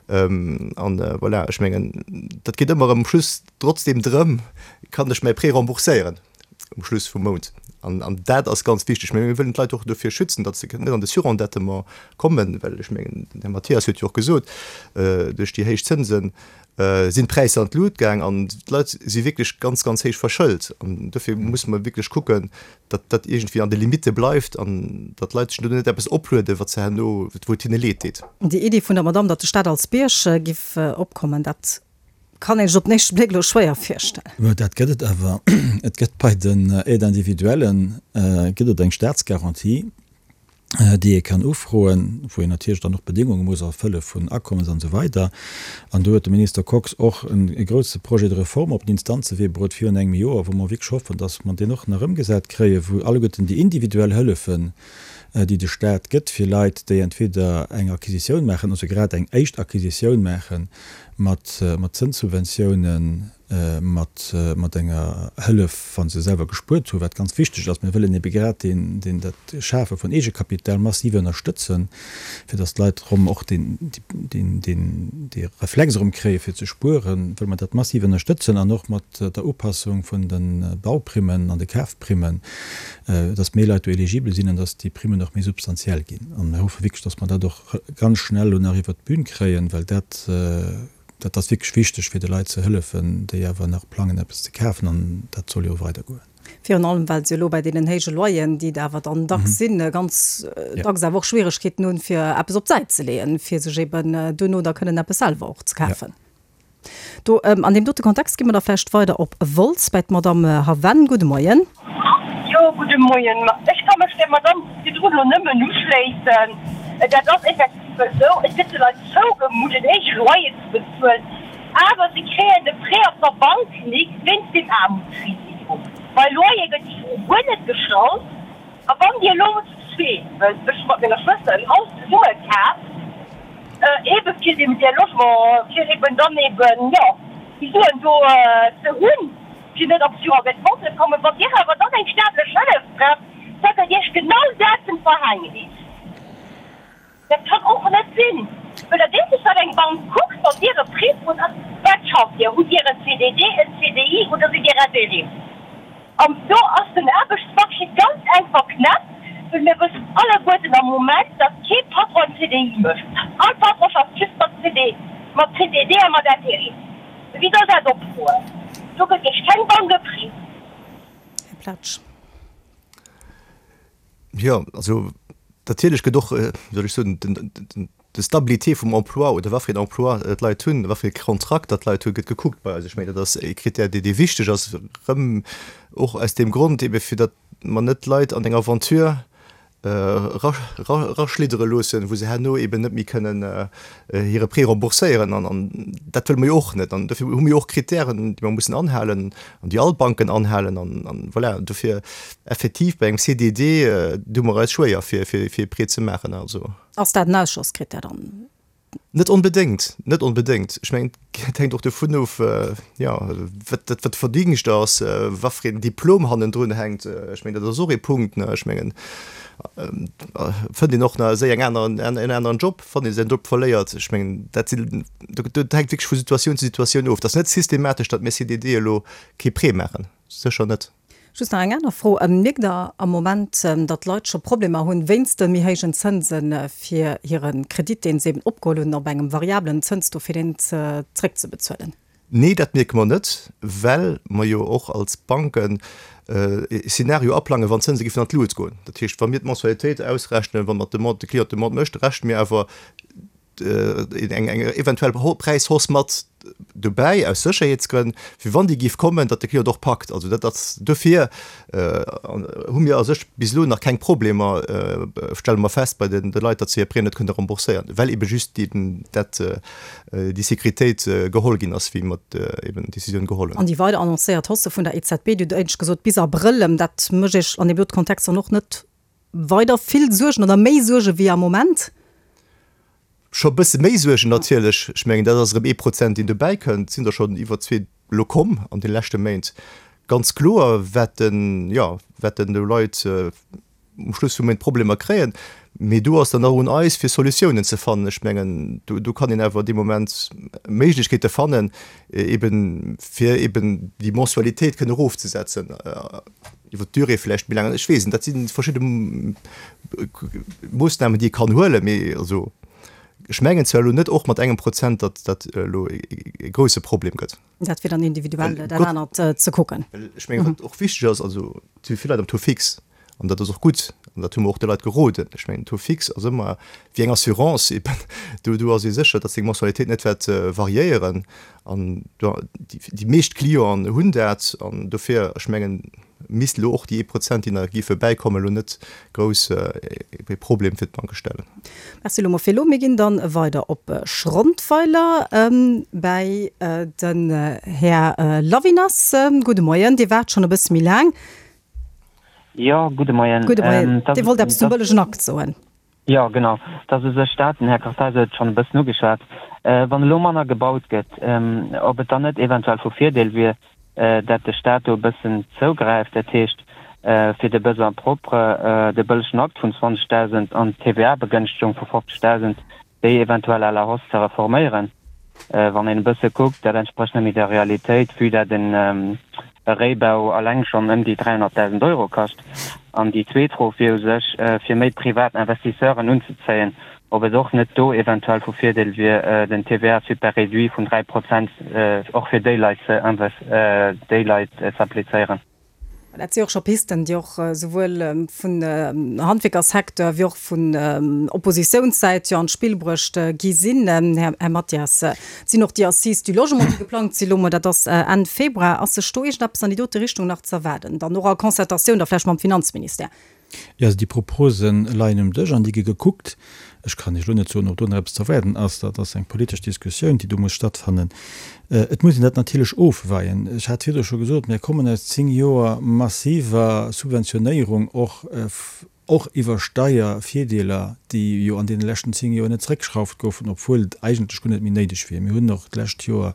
An voilà, ech mengen, dat geet ëmmer erëm um Schluss trotzdem drëm, kann ech mäi Prêt rembourséieren? um Schluss vum Mount. An, an dat ass ganz wichteg. Mä mir wëllen d'Leit och dofir schützen, datt se net an de Surendettement kommen, well ech mengen, den Här Mathias huet jo och gesot, duerch déi héich Zënsen sinn d'Präisser an d'Lut gaang an d'Leit si wierklech ganz, ganz héich verschëlt. An dofir musse mer wierklech kucken, datt dat iergendwéi an de Limitte bleift an datt d'Leit sech do net eppes oplueden, wat se herno, wou et hinne leed deet. Déi Iddi vun der Madamm, datt de Staat als Bierg giff opkommen, dat kann een sech op den éischte Bléck elo schwéier virstellen. Mä dat gëtt et awer. Et gëtt bei den Aides individuellen gëtt et eng Staatsgarantie, déi ee kann ufroen, wou een natierlech dann och Bedéngunge muss erfëlle vun Akommes an esou weider. An do huet de Minister Kox och e grousse Projet de réforme op den Instanzewee bruet virun engem Joer, wou mer wierklech hoffen, dass mer deen och nach ëmgesat kréien, wou alleguerten déi individuell Hëllefen, déi de Stat gëtt fir Leit, déi entweder eng Acquisitioun maachen, also grad eng éischt Acquisitioun maache mat Zënssubventiounen, mat, mat enger Hëllef, wa se selwer gespuert hunn, wat ganz wichteg ass. Mir wëllen ebe grad deen, deen dat Schafe vun Eegekapital massiv ënnerstëtzen, fir datt d'Leit erëm och deen, deen, deen, dee Reflex erëm kréie fir ze spueren, wëlle mer dat massiv ënnerstëtzen an och mat der Upassung vun de Bauprimmen an de Kafprimmen, datt méi Leit do eligibel sinn an datt déi Primmen och méi substantiell ginn. An mir hoffe wierklech, datt mer dat och ganz schnell elo nach iwwert d'Bün kréien, well dat, Dat ass wierklech wichteg, fir de Leit ze hëllefen, déi awer nach plangen, eppes ze kafen. An dat soll jo weidergoen. Virun allem, well se elo bei deenen héije Loyeren, déi et awer dann dacks sinn, ganz dacks awer och Schwieregkeeten hunn, fir eppes op d'Säit ze leeën, fir sech eben duerno da kënnen eppes selwer och ze kafen. Do, an deem dote Kontext gi mer da vläicht weider op Wolz bei d'Madamm Haven. Gudde Moien. Jo, gudde Moien. Ech ka mech där Madamm virdrun elo nëmmen uschléissen. Dat ass effektiv esou. Et gëtt de Leit zougemutt, en héije Loyer ze bezuelen, awer se kréien de Prêt op der Bank nik wéinst dem Aarmutsrisiko. Bei Loyer gëtt déi Fro guer net gestallt. A wann Dir elo zu zweet, well ech hu mat menger Schwëster en Haus zesumme kaf, ebe fir dem där Logement, fir eben dann eben, jo, déi Suen do ze hunn, fir net op Surendettement ze kommen. Wann Dir awer dann eng staatlech Hëllef braucht, da gëtt Iech genau dat zum Verhängnis. Dat kann och net sinn, well dat eenzegt wat eng Bank kuckt, wann Dir e Prêt frot, ass, Wat schafft Dir? Hutt Dir en CDD, en CDI oder sidd Dir Intérim? An do ass den Aarbechtsmarché ganz enk verknäppt, well mir wëssen alleguerten am Moment, datt kee Patron en CDI mécht. All Patron schafft just mat CD, mat CDD a mat Intérim. Wéi soll dat opgoen? Do gëtt Iech keng Bank e Prêt. Här Platsch. Jo, also natierlech gëtt och, wéi soll ech soen, den, d'Stabilité vum Emploi oder wat fir een Emploi d'Leit hunn, wat fir ee Kontrakt datt d'Leit hunn, gëtt gekuckt bei eis. Ech mengen, dat ass e Krittär, dee dee wichteg ass, erëm och aus deem Grond ebe fir datt mer net d'Leit an eng Aventure eraschliddere loossen, wou se herno eben net méi kënnen hire Prêt rembourséieren. An dat wëlle mer jo och net. An dofir hu mir jo och Krittären, déi mer mussen anhalen an déi all d'Banken anhalen. An voilà, dofir effektiv bei engem CDD doe mer eis schwéier, fir e Prêt ze maachen. Also. Ass dat en Ausschlosskrittär dann? Net onbedéngt, net onbedéngt. Ech mengen, et hänkt och dovun of, jo, wat dat wat Verdingscht ass, wat fir een Diplom hannendrun hänkt. Ech mengen, dat ass och ee Punkt, ne. Ech mengen, fënnt een och nach séier eng aner, en aneren Job, wann ee säin Job verléiert. Ech mengen, dat sinn, dat hänkt wierklech vu Situatioun zu Situatioun of. Et ass net systematesch, datt mir CDD elo kee Prêt maachen, sécher net. Just nach eng aner Fro, Mierkt Der am Moment, datt d'Leit scho Problemer hunn, wéinst de méi héijen Zënse fir hire Kredit, deen se eben opgeholl hunn, op engem variablen Zënstaux, fir deen zréckzebezuelen? Nee, dat mierke mer net, well mer jo och als Banken e Szenario aplangen, wann d'Zënse géifen an d'Luucht goen. Dat heescht, wa mir d'Mensualitéit ausrechnen, wa mer d'Demande, de Client d'Demande mécht, rechne mir awer eng eventuell Präishausse mat dobäi aus Sécherheetsgrënn, fir wann déi géif kommen, datt de Client och packt. Also dat ass dofir hu mir a sech bis elo nach keng Problemer, stelle mer fest, bei de Leit, datt se hir Prêt net kënne rembourséieren, well ebe just dat déi Sécuritéit geholl ginn ass, wéi mer eben d'Décisioun geholl hunn. An déi weider annoncéiert Hausse vun der EZB, Dir hutt éinescht gesot bis Abrëll, dat mécht Iech an deem dote Kontext dann och net weider vill Suergen oder méi Suerge wéi am Moment? Scho e bësse méi Suergen natierlech. Ech mengen, dat ass erëm ee Prozent, deen dobäi kënnt. Et sinn der schonn iwwer zwee elo komm an de leschte Méint. Ganz kloer wäerten, jo, wäerten do Leit um Schluss vum Méint Problemer kréien. Mee do ass dann och un eis, fir Solutiounen ze fannen. Ech mengen, do, do kann een awer dee Moment Méiglechkeete fannen, eben fir eben déi Mensualitéit kënne erofzesetzen. Iwwer d'Durée vläicht méi laang, ech weess net, dat si verschidde Moossnamen, déi ee kann huelen, mee also ech mengen zwar elo net och mat engem Prozent, datt dat elo e grouse Problem gëtt. Dat wier dann individuell dat anert ze kucken. Well ech mengen, wat och wichteg ass, also et si vill Leit am Taux fixe an dat ass och gutt an dat hu mer och de Leit geroden. Ech mengen, Taux fixe ass ëmmer wéi eng Assurance eben, do do ass ee sécher, datt seng Mensualitéit net wäert variéieren An déi meescht Clienten hunn dat. An dofir, ech mengen, misst elo och déi ee Prozent, déi nach géife bäikommen, elo net grouss e Problem fir d'Banke stellen. Merci elo mol fir elo. Mir ginn dann weider op Schrondweiler bäi den Här Lavinas. Gudde Moien. Dir waart schonn e bësse méi laang. Jo, gudde Moien. Gudde Moien. Dir wollt eppes zum bëllegen Akt soen. Jo, genau. Et ass u sech dat, den Här Kartheiser huet et schonn e bëssen ugeschwat, wann elo manner gebaut gëtt, ob et dann net eventuell vu Virdeel wier, dat de Stat do e bëssen zougräift, dat heescht, fir de Besoin propre, de bëllegen Akt vun 20.000 an d'TVA-Begënschtegung vu 50.000, déi eventuell à la hausse ze reforméieren. Wann een e bësse kuckt, dat entsprécht net méi der Realitéit, vue dat en Réibau alleng schonn ëm déi 300.000 Euro kascht. An déi zweet Fro wier u sech, fir méi privat Investisseuren unzezéien, ob et och net do eventuell vu Virdeel wier, den TVA super réduit vun 3 Prozent och fir déi Leit ze déi Leit z'applizéieren. Dat si och scho Pisten, déi och souwuel vun Handwierkersecteur wéi och vun Oppositiounssäit jo an d'Spill bruecht gi sinn, Här Mathias. Et sinn och déi Assises du logement, déi geplangt si lo mol, dat ass Enn Februar. Ass sech do iergendeppes an déi dote Richtung nach ze erwaarden, dann och a Concertatioun da vläicht mam Finanzministère? Jo, also déi Propose leien um Dësch an déi gi gekuckt. Ech kann Iech elo net soen, ob do nach eppes ze erwaarden ass. Dat ass eng politesch Diskussioun, déi do muss stattfannen. Et muss een dat natierlech ofweien. Ech hat virdru scho gesot, mir kommen aus 10 Joer massiver Subventionéierung, och och iwwer Steiervirdeeler, déi jo an deene leschten 10 Joer net zeréckgeschrauft goufen, obwuel et eigentlech guer net méi néideg wier. Mir hunn och d'lescht Joer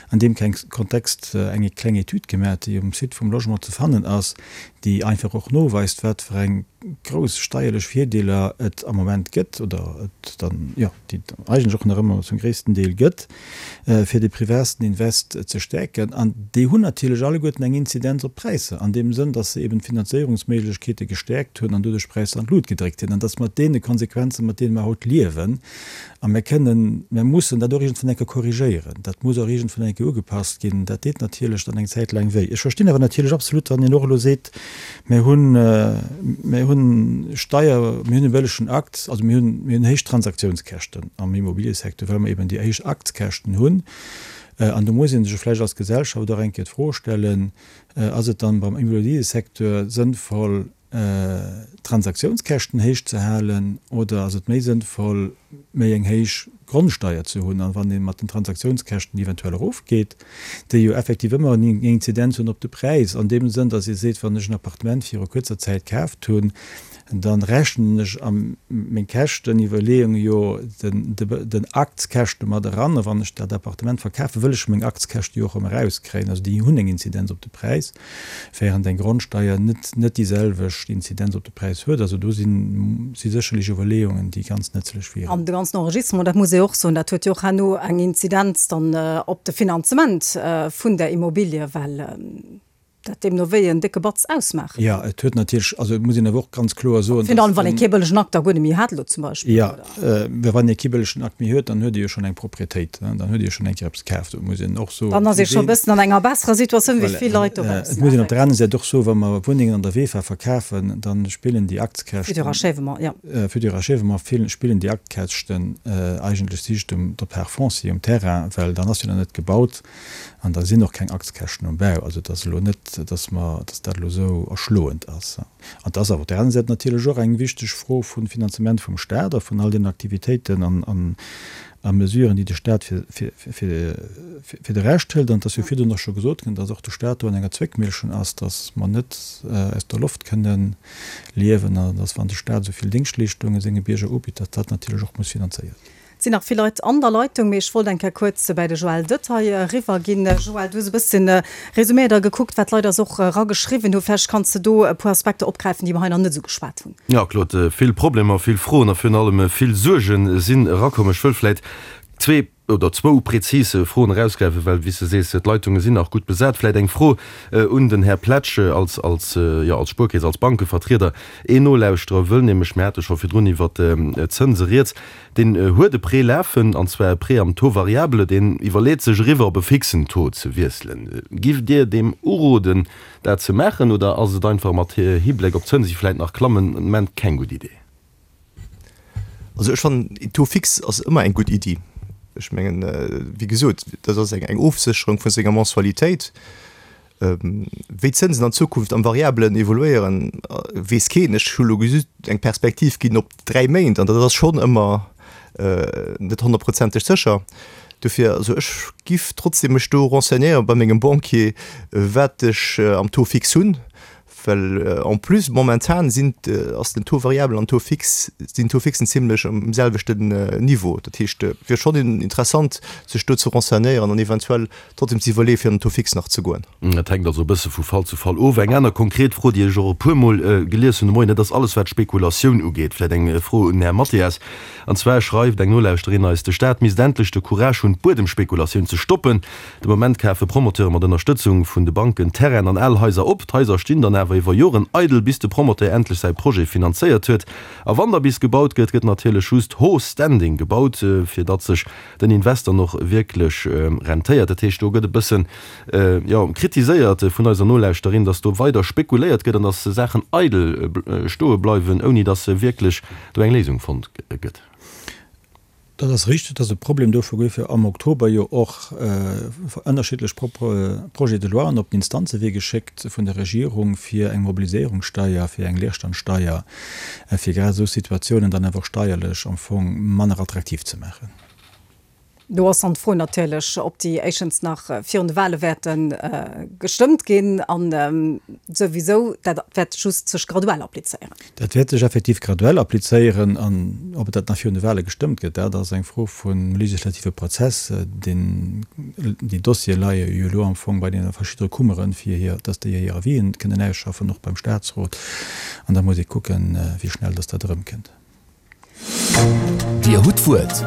an deem Kontext eng kleng Etüd gemaach, déi um Site vum Logement ze fannen ass, déi einfach och noweist, wat fir eng grouss steierlech Virdeeler et am Moment gëtt, oder et dann, jo, déi et eigentlech och nach ëmmer zum gréissten Deel gëtt, fir de privaten Invest ze stäerken. An déi hunn natierlech alleguerten eng Inzidenz op d'Präisser, an deem Sënn, dass se eben d'Finanzéierungsméiglechkeete gestäerkt hunn an doduerch d'Präisser an d'Lut gedréckt hunn. An dass mat deene Konsequenzen, mat deene mer haut liewen, A mir kënnen, mir mussen dat och iergendwann eng Kéier korrigéieren. Dat muss och iergendwann eng Kéier ugepasst ginn. Dat deet natierlech dann eng Zäit laang wéi. Ech verstinn awer natierlech absolut, wann een och elo seet, mir hunn, mir hunn Steier, mir hunn e bëllegen Akt, also mir hunn, mir hunn héich Transaktiounskäschten am Immobiliësecteur, well mer eben déi héich Aktskäschten hunn. An do muss ee sech vläicht als Gesellschaft och eng Kéier d'Fro stellen, Ass et dann beim Immobiliësecteur sënnvoll, d'Transaktiounskäschten héich ze halen oder ass et méi sënnvoll, méi eng héich Grondsteier ze hunn? An wann ee mat den Transaktiounskäschten eventuell erofgeet, déi jo effektiv ëmmer eng Inzidenz hunn op de Präis, an deem Sënn, datt ee seet, wann ech en Appartement viru kuerzer Zäit kaaft hunn, da rechnen ech a meng Käschteniwwerleeung jo den Aktskäschte mat eran. A wann ech dat Appartement verkafen, wëll ech meng Aktskäschte jo och erëm erauskréien. Also déi hunn eng Inzidenz op de Präis. während eng Grondsteier net net déi selwecht Inzidenz op de Präis huet. Also do sinn si sécherlech Iwwerleeungen, déi ganz nëtzlech wieren. An de ganzen Enregistrement, dat muss ee och soen, dat huet jo och herno eng Inzidenz dann op de Finanzement vun der Immobilie, well dat deemno wéi en décke Batz ausmaacht. Jo, et huet natierlech, also et muss een awer och ganz kloer soen, Virun allem, wann ee kee bëllegen Akt da guer net méi hat elo zum Beispill, Jo, oder? Wann ee kee bëllegen Akt méi huet, dann huet ee jo schonn eng Proprietéit, dann huet ee jo schonn eng Kéier eppes kaaft. Et muss een och soen, Dann ass ee scho e bëssen an enger besserer Situatioun wéi vill Leit dobaussen. Et muss een op der aner Säit och soen, wa mer Wunnengen an der VEFA verkafen, da spillen déi Aktskäschten, Futur achèvement, jo. Futur achèvement, spillen déi Aktkäschten eigentlech sich um der Part foncier, um Terrain, well dann ass jo nach net gebaut an da sinn och keng Aktskäschten um Bau. Also et ass elo net, dass mer, dass dat elo esou erschloend ass. An et ass awer op där aner Säit natierlech och eng wichteg Fro vum Finanzement vum Stat a vun all deenen Aktivitéiten an a Mesuren, déi de Stat fir de Rescht hëlt. An et ass jo virdrun och scho gesot ginn, dass och de Stat do an enger Zwéckmillchen ass, dass mer net aus der Loft kënnen liewen an dass, wann de Stat esou vill Déngschtleeschtunge senge Bierger ubitt, dass dat natierlech och muss finanzéiert ginn. Et sinn nach vill Leit an der Leitung, mee ech wollt eng Kéier kuerz bäi de Joël Detaille eriwwer ginn. Joël, du hues e bësschen resuméiert a gekuckt, wat d'Leit eis och erageschriwwen hunn. Vläicht kanns de do e puer Aspekter opgräifen, déi mer hei nach net esou geschwat hunn. Jo, Claude, vill Problemer, vill Froen a virun allem vill Suerge sinn erakomm. Ech wëll vläit zwee. oder zwou prezis Froen erausgräifen, well, wéi s de sees, d'Leitunge sinn nach gutt besat. Vläicht eng Fro un den Här Pletsch als, als, jo, als Spuerkeess, als Bankevertrieder. Een Nolauschterer wëll nämlech, mir hate scho virdrun iwwert d'Zënse rieds, deen huet e Prêt lafen, an zwar e Prêt am Taux variable, deen iwwerleet sech eriwwer op e fixen Taux ze wiesselen. Giff Dir deem uroden, dat ze maachen, oder ass et einfach mat Hibléck op d'Zënse, déi vläicht nach klammen, den Moment keng gutt Idee? Also ech fannen, een Taux fixe ass ëmmer eng gutt Iddi. Ech mengen, wéi gesot, dat ass eng Ofsécherung vu senger Mensualitéit. Wéi d'Zënsen an Zukunft am Variabelen evoluéieren, weess keen. Ech hu lo just eng Perspektiv ginn op 3 Méint an dat ass schonn ëmmer net honnertprozenteg sécher. Dofir, also ech giff trotzdem mech do renseignéiere bei mengem Banquier, wat ech am Taux fixe hunn, Well en plus momentan sinn, ass den Taux variable an Taux fixe, sinn d'Taux fixen zimlech um selwechten Niveau. Dat heescht, et wier schonn interessant sech do ze renseignéieren an eventuell trotzdem ze iwwerleeë fir an den Taux fixe nach ze goen. Dat hänkt also e bësse vu Fall zu Fall of. Eng aner konkret Fro, déi ech och e puermol gelies hunn de Moien, dat ass alles wat d'Spekulatioun ugeet. Vläicht eng Fro un den Här Mathias. An zwar schreift eng Nolauschterin eis, de Staat misst endlech de Courage hunn, d'Buedemspekulatioun ze stoppen. De Moment kafe Promoteure mat Ënnerstëtzung vun de Banken Terrainen an al Haiser op. D'Haiser stinn dann awer iwwer Joren eidel, bis de Promoteur endlech säi Projet finanzéiert huet. A wann da bis gebaut gëtt, gëtt natierlech just haut standing gebaut, fir datt sech den Invest dann och wierklech rentéiert. Dat heescht, do gëtt e bëssen, jo, kritiséiert vun eiser Nolauschterin, datt do weider spekuléiert gëtt an datt Saachen eidel stoe bleiwen, ouni datt wierklech do eng Léisung fonnt gëtt. Dat ass richteg, dat ass e Problem. Dofir goufe am Oktober jo och ënnerschiddlech Projets de loien op den Instanzewee geschéckt vun der Regierung, fir eng Mobiliséierungssteier, fir eng Leerstandsteier, fir grad esou Situatiounen dann awer och steierlech am Fong manner attraktiv ze maachen. Do ass dann d'Fro natierlech, ob déi éischens nach virun de Wahle wäerte gestëmmt ginn an souwisou, dat wäert just sech graduell applizéieren. Dat wäert sech effektiv graduell applizéieren. An ob et dat nach virun de Wahle gestëmmt gëtt, dat ass eng Fro vum legislative Prozess. Deen, déi Dossiere leie jo elo am Fong bei deene verschiddene Kummeren, fir hir, dass déi hir Avisen kënnen ausschaffen, och beim Statsrot. An da muss ee kucken, wéi schnell dass dat erëmkënnt. Dir hutt d'Wuert.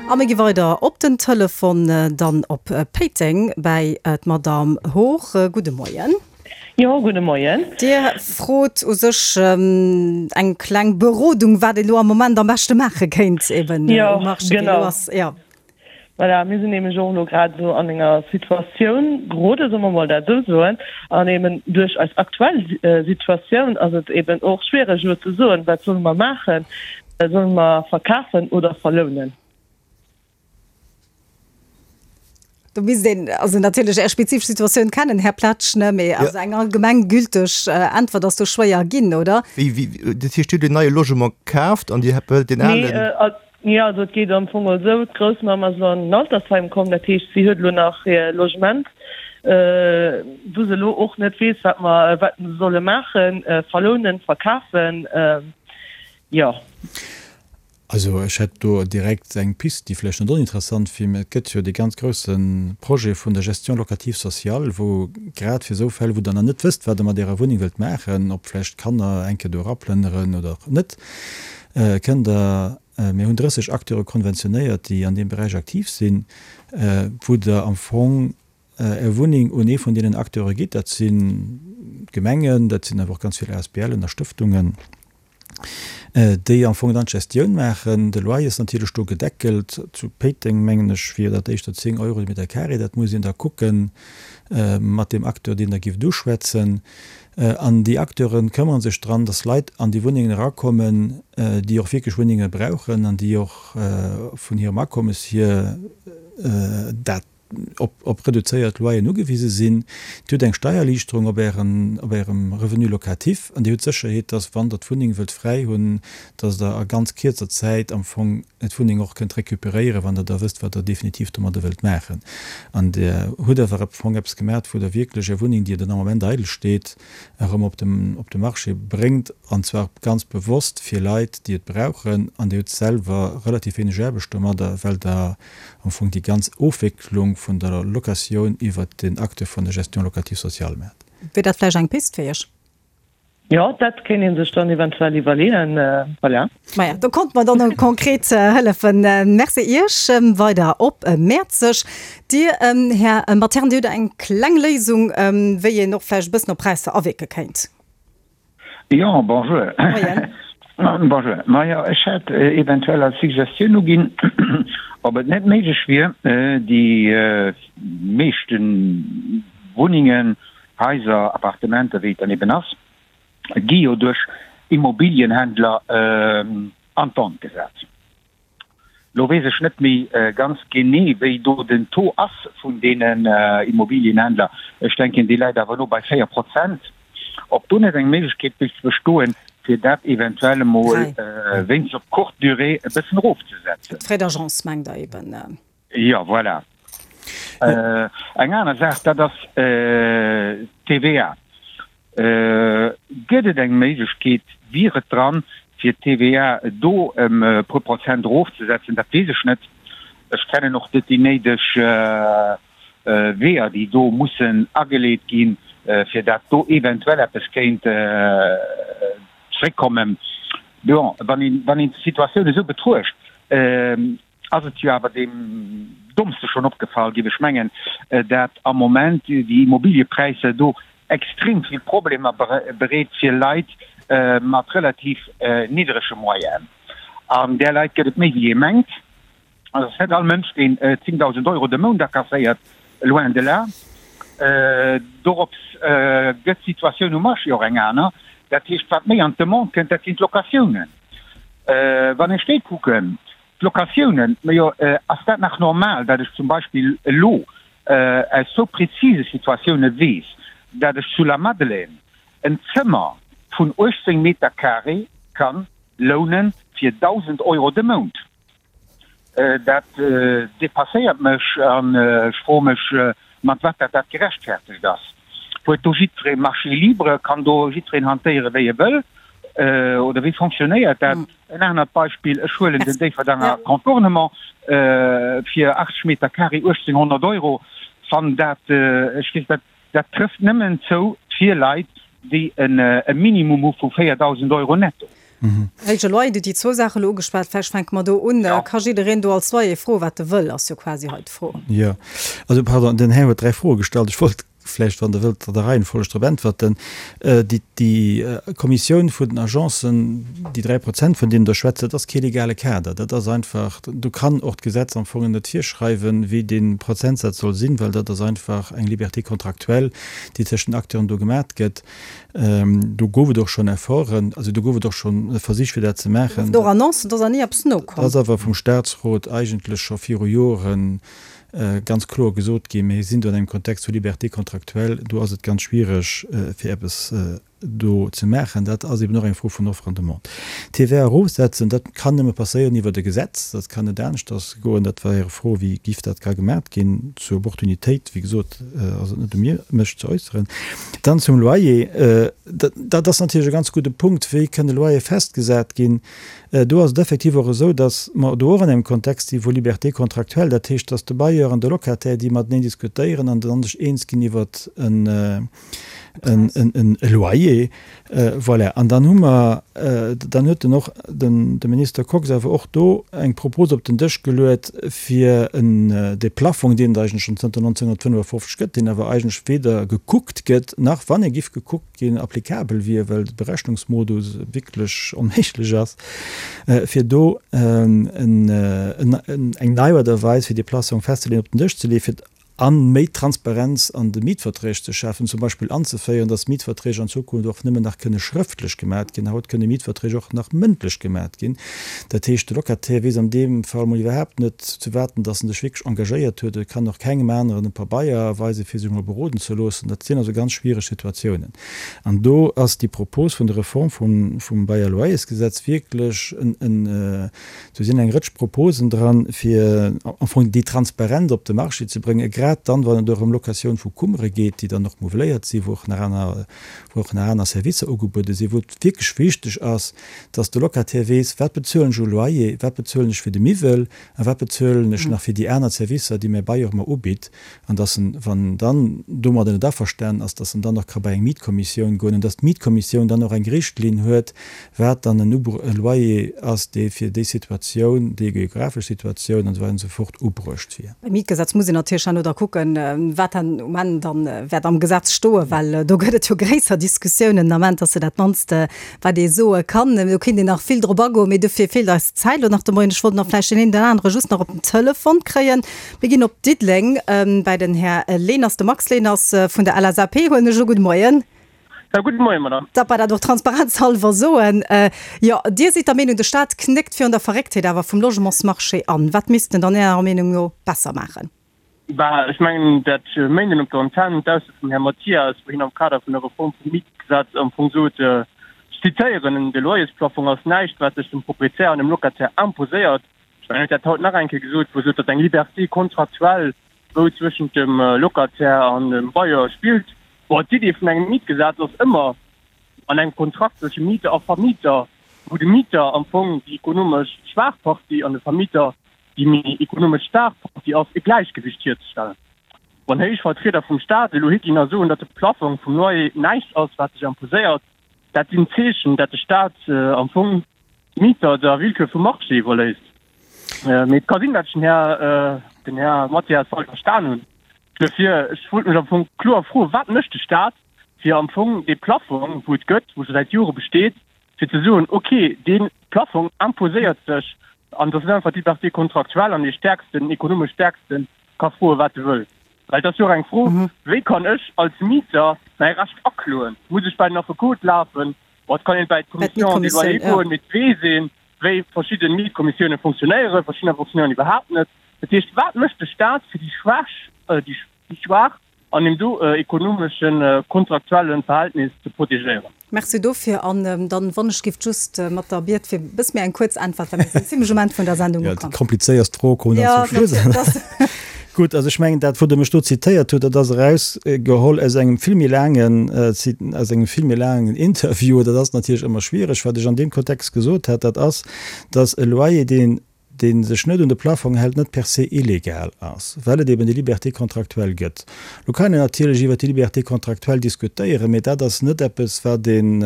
A mir gi weider op den Telefon, dann op Péiteng bäi d'Madamm Hoog. Gudde Moien. Jo, gudde Moien. Dir frot u sech eng kleng Berodung, wat een elo am Moment am beschte maache kéint, eben um Marché, wéi elo ass. Jo. Voilà, mir sinn nämlech och elo grad esou an enger Situatioun gerode, solle mer mol dat esou soen, an eben duerch eis aktuell Situatioun ass et eben och schwiereg elo ze soen, wat solle mer maachen, solle mer verkafen oder verlounen? Do misst een also natierlech Är spezifesch Situatioun kennen, Här Pletsch, ne, mee also eng allgemeng gülteg Äntwert ass do schwéier ginn, oder? Wéi, wéi, dat heescht, Dir hutt en neie Logement kaaft an Dir wëllt deen alen? Nee, Jo, also et geet am Fong esou, d'Groussmamm ass elo an den Altersheim komm, dat heescht si huet elo nach hir Logement, wou se elo och net weess, wat mer, wat se solle maachen, verlounen, verkafen, jo. Also ech hätt do direkt eng Pist, déi vläicht net oninteressant wier, mä et gëtt jo dee ganz grousse Projet vun der Gestion locative sociale, wou grad fir esou Fäll, wou Der nach net wësst, wat Der mat Ärer Wunneng wëllt maachen, ob vläicht d'Kanner eng Kéier do eraplënneren oder och net, Kënnt Der, mir hunn 30 Acteure konventionéiert, déi an deem Beräich aktiv sinn, wou Der am Fong Är Wunneng un ee vun deenen Acteure gitt, dat sinn d'Gemengen, dat sinn awer och ganz vill ASBLen a Stëftungen, déi am Fong dann d'Gestioun maachen. De Loyer ass natierlech do gedeckelt. Zu Péiteng, mengen ech, wier dat éischter 10 Euro de Meter carré. Dat muss een da kucke mat deem Acteur, deen Der gifft uschwätzen. An déi Acteure këmmere sech dran, dass Leit an déi Wunnengen erakommen, déi och wierklech Wunnenge brauchen an déi och vun hirem Akommes hier dat op reduzéiert Loyeren ugewise sinn. Dir hutt eng Steiererliichterung op Ären, op Ärem Revenu locatif an Dir hutt d'Sécherheet, dass, wann Der d'Wunneng wëllt fräi hunn, dass Der a ganz kierzer Zäit am Fong d'Wunneng och kënnt recuperéieren, wann Der da wësst, wat Der definitiv domadder wëllt maachen. An Der hutt awer am Fong eppes gemaat, wou Der wierklech Är Wunneng, déi den Ament eidel steet, erëm op de, op de Marché bréngt, an zwar ganz bewosst fir Leit, déi et brauchen. An Dir hutt selwer relativ wéineg Aarbecht domadder, well Der am Fong déi ganz Ofwécklung vun der Locatioun iwwert den Acte vun der Gestion locative sociale maacht. Wier dat vläicht eng Pist fir Iech? Jo, dat kéint ee sech dann eventuell iwwerleeën. Voilà. Maja, do konnte mer dann och konkret hëllefen. Merci Iech. Weider op Mäerzeg. Dir, Här Matern, Dir hutt eng kleng Léisung, wéi een och vläicht e bëssen op Präisser awierke kéint. Jo, bonjour. Moien. Bonjour. Majo, ech hätt eventuell als Suggestioun uginn, ob et net méiglech wier, déi meeschte Wunnengen, Haiser, Appartementer, wéi et dann eben ass, gi jo duerch Immobilienhändler an d'Vente gesat. Lo weess ech net méi ganz genee, wéi do den Taux ass vun deenen Immobilienhändler. Ech denken, dee läit awer elo bei 4 Prozent. Ob do net eng Méiglechkeet géif bestoen, fir dat eventuell emol wéinst op courte durée e bëssen erofzesetzen. D'Frais d'agence mengt Der eben? Jo, voilà. Eng aner Saach, dat ass d'TVA. Gëtt et eng Méiglechkeet, wier et dran, fir d'TVA do ëm e puer Prozent erofzesetzen? Dat weess ech net. Ech kennen och net déi néideg Weeër, déi do mussen ageleet ginn, fir dat do eventuell eppes kéint zréckkommen. Bon, wann een d'Situatioun esou betruecht, ass et jo awer deem Dommste schonn opgefall, géif ech mengen, dat am Moment déi Immobiliëpräisser do extrem vill Problemer bereet fir Leit mat relativ niddrege Moyenen. An där Leit gëtt et méi wéi ee mengt. Et ass net all Mënsch, deen 10.000 Euro de Mount akasséiert, loin de là. Dorops gëtt d'Situatioun um Marché och eng aner. Dat heescht, wat méi an d'Demande kënnt, dat sinn d'Locatiounen. Wann ech déi kucken, d'Locatiounen, majo, ass dat nach normal, dat ech zum Beispill elo aus sou prezise Situatioune weess, dat ech zu Lamadelaine en Zëmmer vun 18 Meter carré ka loune fir 1.000 Euro de Mount? Dat depasséiert mech an ech froe mech, mat wat dat dat gerechtfertegt ass. Huet do jiddweree Marché libre? Kann do jiddwereen hantéiere wéi e wëll? Oder wéi fonctionnéiert dat? En anert Beispill, ech huelen den Déifferdanger Contournement fir 80 Meter carré 1.800 Euro. Wann dat, ech weess dat, dat trëfft nëmmen zou fir Leit, déi e Minimum hu vu 4.000 Euro netto. Héije Loyer, Dir hutt déi zwou Saache elo ugeschwat. Vläicht fänke mer do un. Ka jiddereen do als Loyer froen, wat e wëll, ass jo quasi hei d'Fro. Jo, also pardon, den Här huet dräi Froe gestallt. Ech wollt vläicht, wann Der wëllt, an der Reihenfolg drop äntwerten. Déi, déi Kommissioun vun den Agencen, déi 3%, vun deenen Der schwätzt, dat ass kee legale Kader. Dat ass einfach, do kann och d'Gesetz am Fong net virschreiwen, wéi dee Prozentsaz soll sinn, well dat ass einfach eng Liberté contractuelle, déi tëscht den Acteuren do gemat gëtt. Do gouf et och schonn Efforten, also do gouf et och schonn Versich, fir dat ze maachen. Do gouf et och Annoncen, do ass awer ni eppes nokomm. Dat ass awer vum Statsrot eigentlech scho viru Jore ganz kloer gesot ginn. Mir sinn do an engem Kontext vu Liberté contractuelle, do ass et ganz schwiereg, fir eppes do ze maachen. Dat ass eben och eng Fro vun Offre an Demande. D'TVA erofsetzen, dat kann nëmme passéieren iwwert e Gesetz, dat kann net aneschters goen. Dat war Är Fro, wéi giff dat ka gemaat ginn. Zur Opportunitéit, wéi gesot, ass et net u mir, mech ze äusseren. Dann zum Loyer, dat ass natierlech e ganz gudde Punkt, wéi kënne Loyer festgesat ginn. Do ass et effektiv och esou, datt mer do och an engem Kontext si vu Liberté contractuelle, dat heescht, datt de Bailleur an de Locataire, déi mateneen diskutéieren an dann sech eens ginn iwwert en e Loyer. Voilà. An dann hu mer, dann huet den och den de Minister Kox awer och do eng Propos op den Dësch geluet, fir en dee Plaffong, deen et eigentlech schonn zënter 1955 gëtt, deen awer eigentlech weder gekuckt gëtt, nach, wann e giff gekuckt ginn, applicabel wier, well de Berechnungsmodus wierklech onméiglech ass, fir do en eng nei Aart a Weis, fir dee Plassong festzeleeën, op den Dësch ze leeën, fir a méi Transparenz an de Mietverträg ze schafen, zum Beispill anzeféieren, dass Mietverträg an Zukunft och nëmmen nach kënne schrëftlech gemat ginn. Haut kënne Mietverträg och nach mëndlech gemat ginn. Dat heescht, de Locataire weess an deem Fall mol iwwerhaapt net, zu wat en dass en sech wierklech engagéiert huet. E kann och kengem aneren e Pabeier weisen, fir sech mol beroden ze loossen. Dat sinn also ganz schwiereg Situatiounen. An do ass déi Propos vun der Reform vum Bail-à-loyers-Gesetz wierklech en, Do sinn eng Rëtsch Proposen dran, fir am Fong déi Transparenz op de Marché ze bréngen. grad dann, wann et och ëm Locatioun vu Kummere geet, déi dann och meuveléiert sinn, wou och nach aner, wou och nach aner Servicer ugebuede sinn, wou et wierklech wichteg ass, dass de Locataire weess, wat bezuelen ech u Loyer, wat bezuelen ech fir de Miwwel a wat bezuelen ech nach fir déi aner Servicer, déi mäi Bailleur mer ubitt, an dass en, wann en dann domadder net averstanen ass, dass en dann och ka bei eng Mietkommissioun goen an dass d'Mietkommissioun dann och eng Richtlinn huet, wat dann en Loyer ass, dee fir déi Situatioun, déi geographesch Situatioun an esou weider an esou fort ubruecht wier. Beim Mietgesetz muss een natierlech herno da kucken, wat dann um Enn dann wäert am Gesetz stoen, well do gëtt et jo gréisser Diskussiounen den Ament, ass jo dat mannst, wat ee soe kann. Do kéint een nach vill drop agoen, mee dofir feelt eis d'Zäit elo nach de Moien. Ech wollt nach vläicht deen een oder anere just nach op den Telefon kréien. Mir ginn op Diddeleng bäi den Här Leners, de Max Leners vun der LSAP, huelen ech u. Gudde Moien. Jo, gudde Moien, Madame. Datt mer dat och transparenzhalwer soen. Jo, Dir sidd der Meenung, de Staat knéckt virun der Verrécktheet awer vum Logementsmarché an. Wat misst en dann Ärer Meenung no besser maachen? Bah, ech mengen, dat Méinden op der Antenn, d'Ausso vum Här Mathias, wou hien am Kader vun der Reform vum Mietgesetz am Fong sot, ech zitéieren, De Loyersplafong ass näischt, wat sech dem Proprietär an dem Locataire imposéiert. Ech mengen, en huet dat haut nach eng Kéier gesot, wou e sot, datt eng Liberté contractuelle wou zwëschent dem Locataire an dem Bailleur spillt. Bon, d'Idee vun engem Mietgesetz ass ëmmer an engem Kontrakt zwësche Mieter a Vermieter, wou de Mieter am Fong déi ekonomesch schwaach Partie an de Vermieter déi méi ekonomesch staark Partie ass, e Gläichgewicht hierzestellen. Wann héich Vertrieder vum Staat elo higinn a soen, datt de Plaffong vum Loyer näischt ass, wat sech imposéiert, dat sinn Zeechen, dat de Staat am Fong d'Mieter der Willkür vum Marché iwwerléisst. Mee et ka sinn, dat ech den Här, den Här Mathias falsch verstan hunn. Duerfir, ech wollt mech am Fong kloer froen, Wat mécht de Staat, fir am Fong dee Plaffong, wou et gëtt, wou scho säit Jore besteet, fir ze soen, okay, dee Plaffong imposéiert sech an dass net einfach d'Liberté contractuelle an dee Stäerksten, ekonomesch Stäerksten ka froen, wat e wëll? Well et ass jo och eng Fro, Wéi kann ech als Mieter mäi Recht akloen? Muss ech bei den Affekot lafen? Bon, et kann een bei d'Commission des loyers goen, mee et weess een, wéi verschidde Mietkommissioune funktionéieren, verschiddener funktionéieren iwwerhaapt net. Dat heescht, wat mécht de Staat fir déi Schwäch, déi Schwaach an deem do ekonomeschen, kontraktuellen Verhältnis ze protegéieren? Merci dofir. An dann, wann ech giff, just mat der Biet fir e bësse méi eng kuerz Äntwert, well mir sinn zimlech um Enn vun der Sendung ukomm. Jo, déi komplizéierst Fro koum dann zum Schluss. Gutt, also ech mengen, dat, wou Der mech do zitéiert hutt, dat ass erausgeholl aus engem vill méi laangen, aus engem vill méi laangen Interview. Dat ass natierlech ëmmer schwiereg. Wat ech an deem Kontext gesot hat, dat ass, dass e Loyer, deen, dee sech net un de Plafong hält, net per se illegal ass, well et eben déi Liberté contractuelle gëtt. Lo kann een natierlech iwwert déi Liberté contractuelle diskutéieren, mee dat ass net eppes, wat een,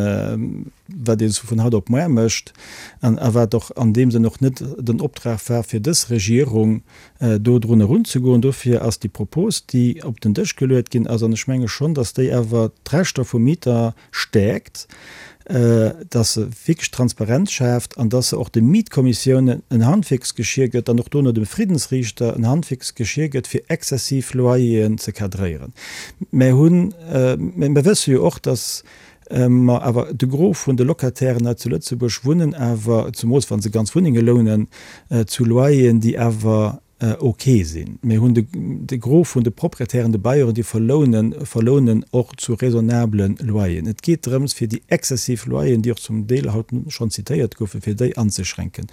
wat ee sou vun haut op muar mécht an a wat och an deem Sënn och net den Optrag war fir dës Regierung, do drun erunzegoen. Dofir ass déi Propos, déi op den Dësch geluet ginn ass, an ech menge schonn, datt déi awer d'Rechter vum Mieter stäerkt, datt se wierklech Transparenz schaaft an datt se och de Mietkommissiounen en Handwierksgeschier gëtt an och dono dem Friddensriichter en Handwierksgeschier gëtt, fir exzessiv Loyeren ze cadréieren. Mer hunn, mer wësse jo och, datt Mer awer de Gros vun de Locatairen hei zu Lëtzebuerg wunnen awer, zemools wa se ganz Wunnenge lounen, zu Loyeren, déi awer ok sinn. Mir hunn de Gros vun de Proprietären, de Bailleuren, déi verlounen, verlounen och zu raisonnabele Loyeren. Et geet drëms, fir déi exzessiv Loyeren, déi och zum Deel haut schonn zitéiert goufen, fir déi anzeschränken.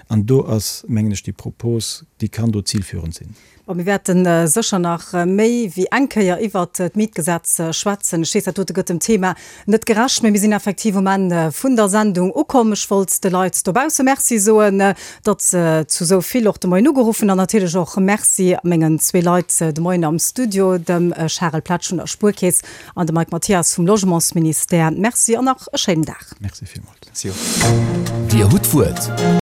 An do ass, mengen ech, déi Propos, déi kann do zilführend sinn. Bon, mir wäerte sécher nach méi wéi eng Kéier iwwert d'Mietgesetz schwätzen. Ech weess, dat dote gëtt dem Thema net gerecht, mä mir sinn effektiv um Enn vun der Sendung ukomm. Ech wollt de Leit dobausse Merci soen, datt se zu esou vill och de Moien ugeruffen an natierlech och Merci mengen zwee Leit de Moien am Studio, dem Charel Pletsch vun der Spuerkeess an dem Mike Mathias vum Logementsministère. Merci an nach e schéinen Dag. Merci villmools. Dir hutt d'Wuert.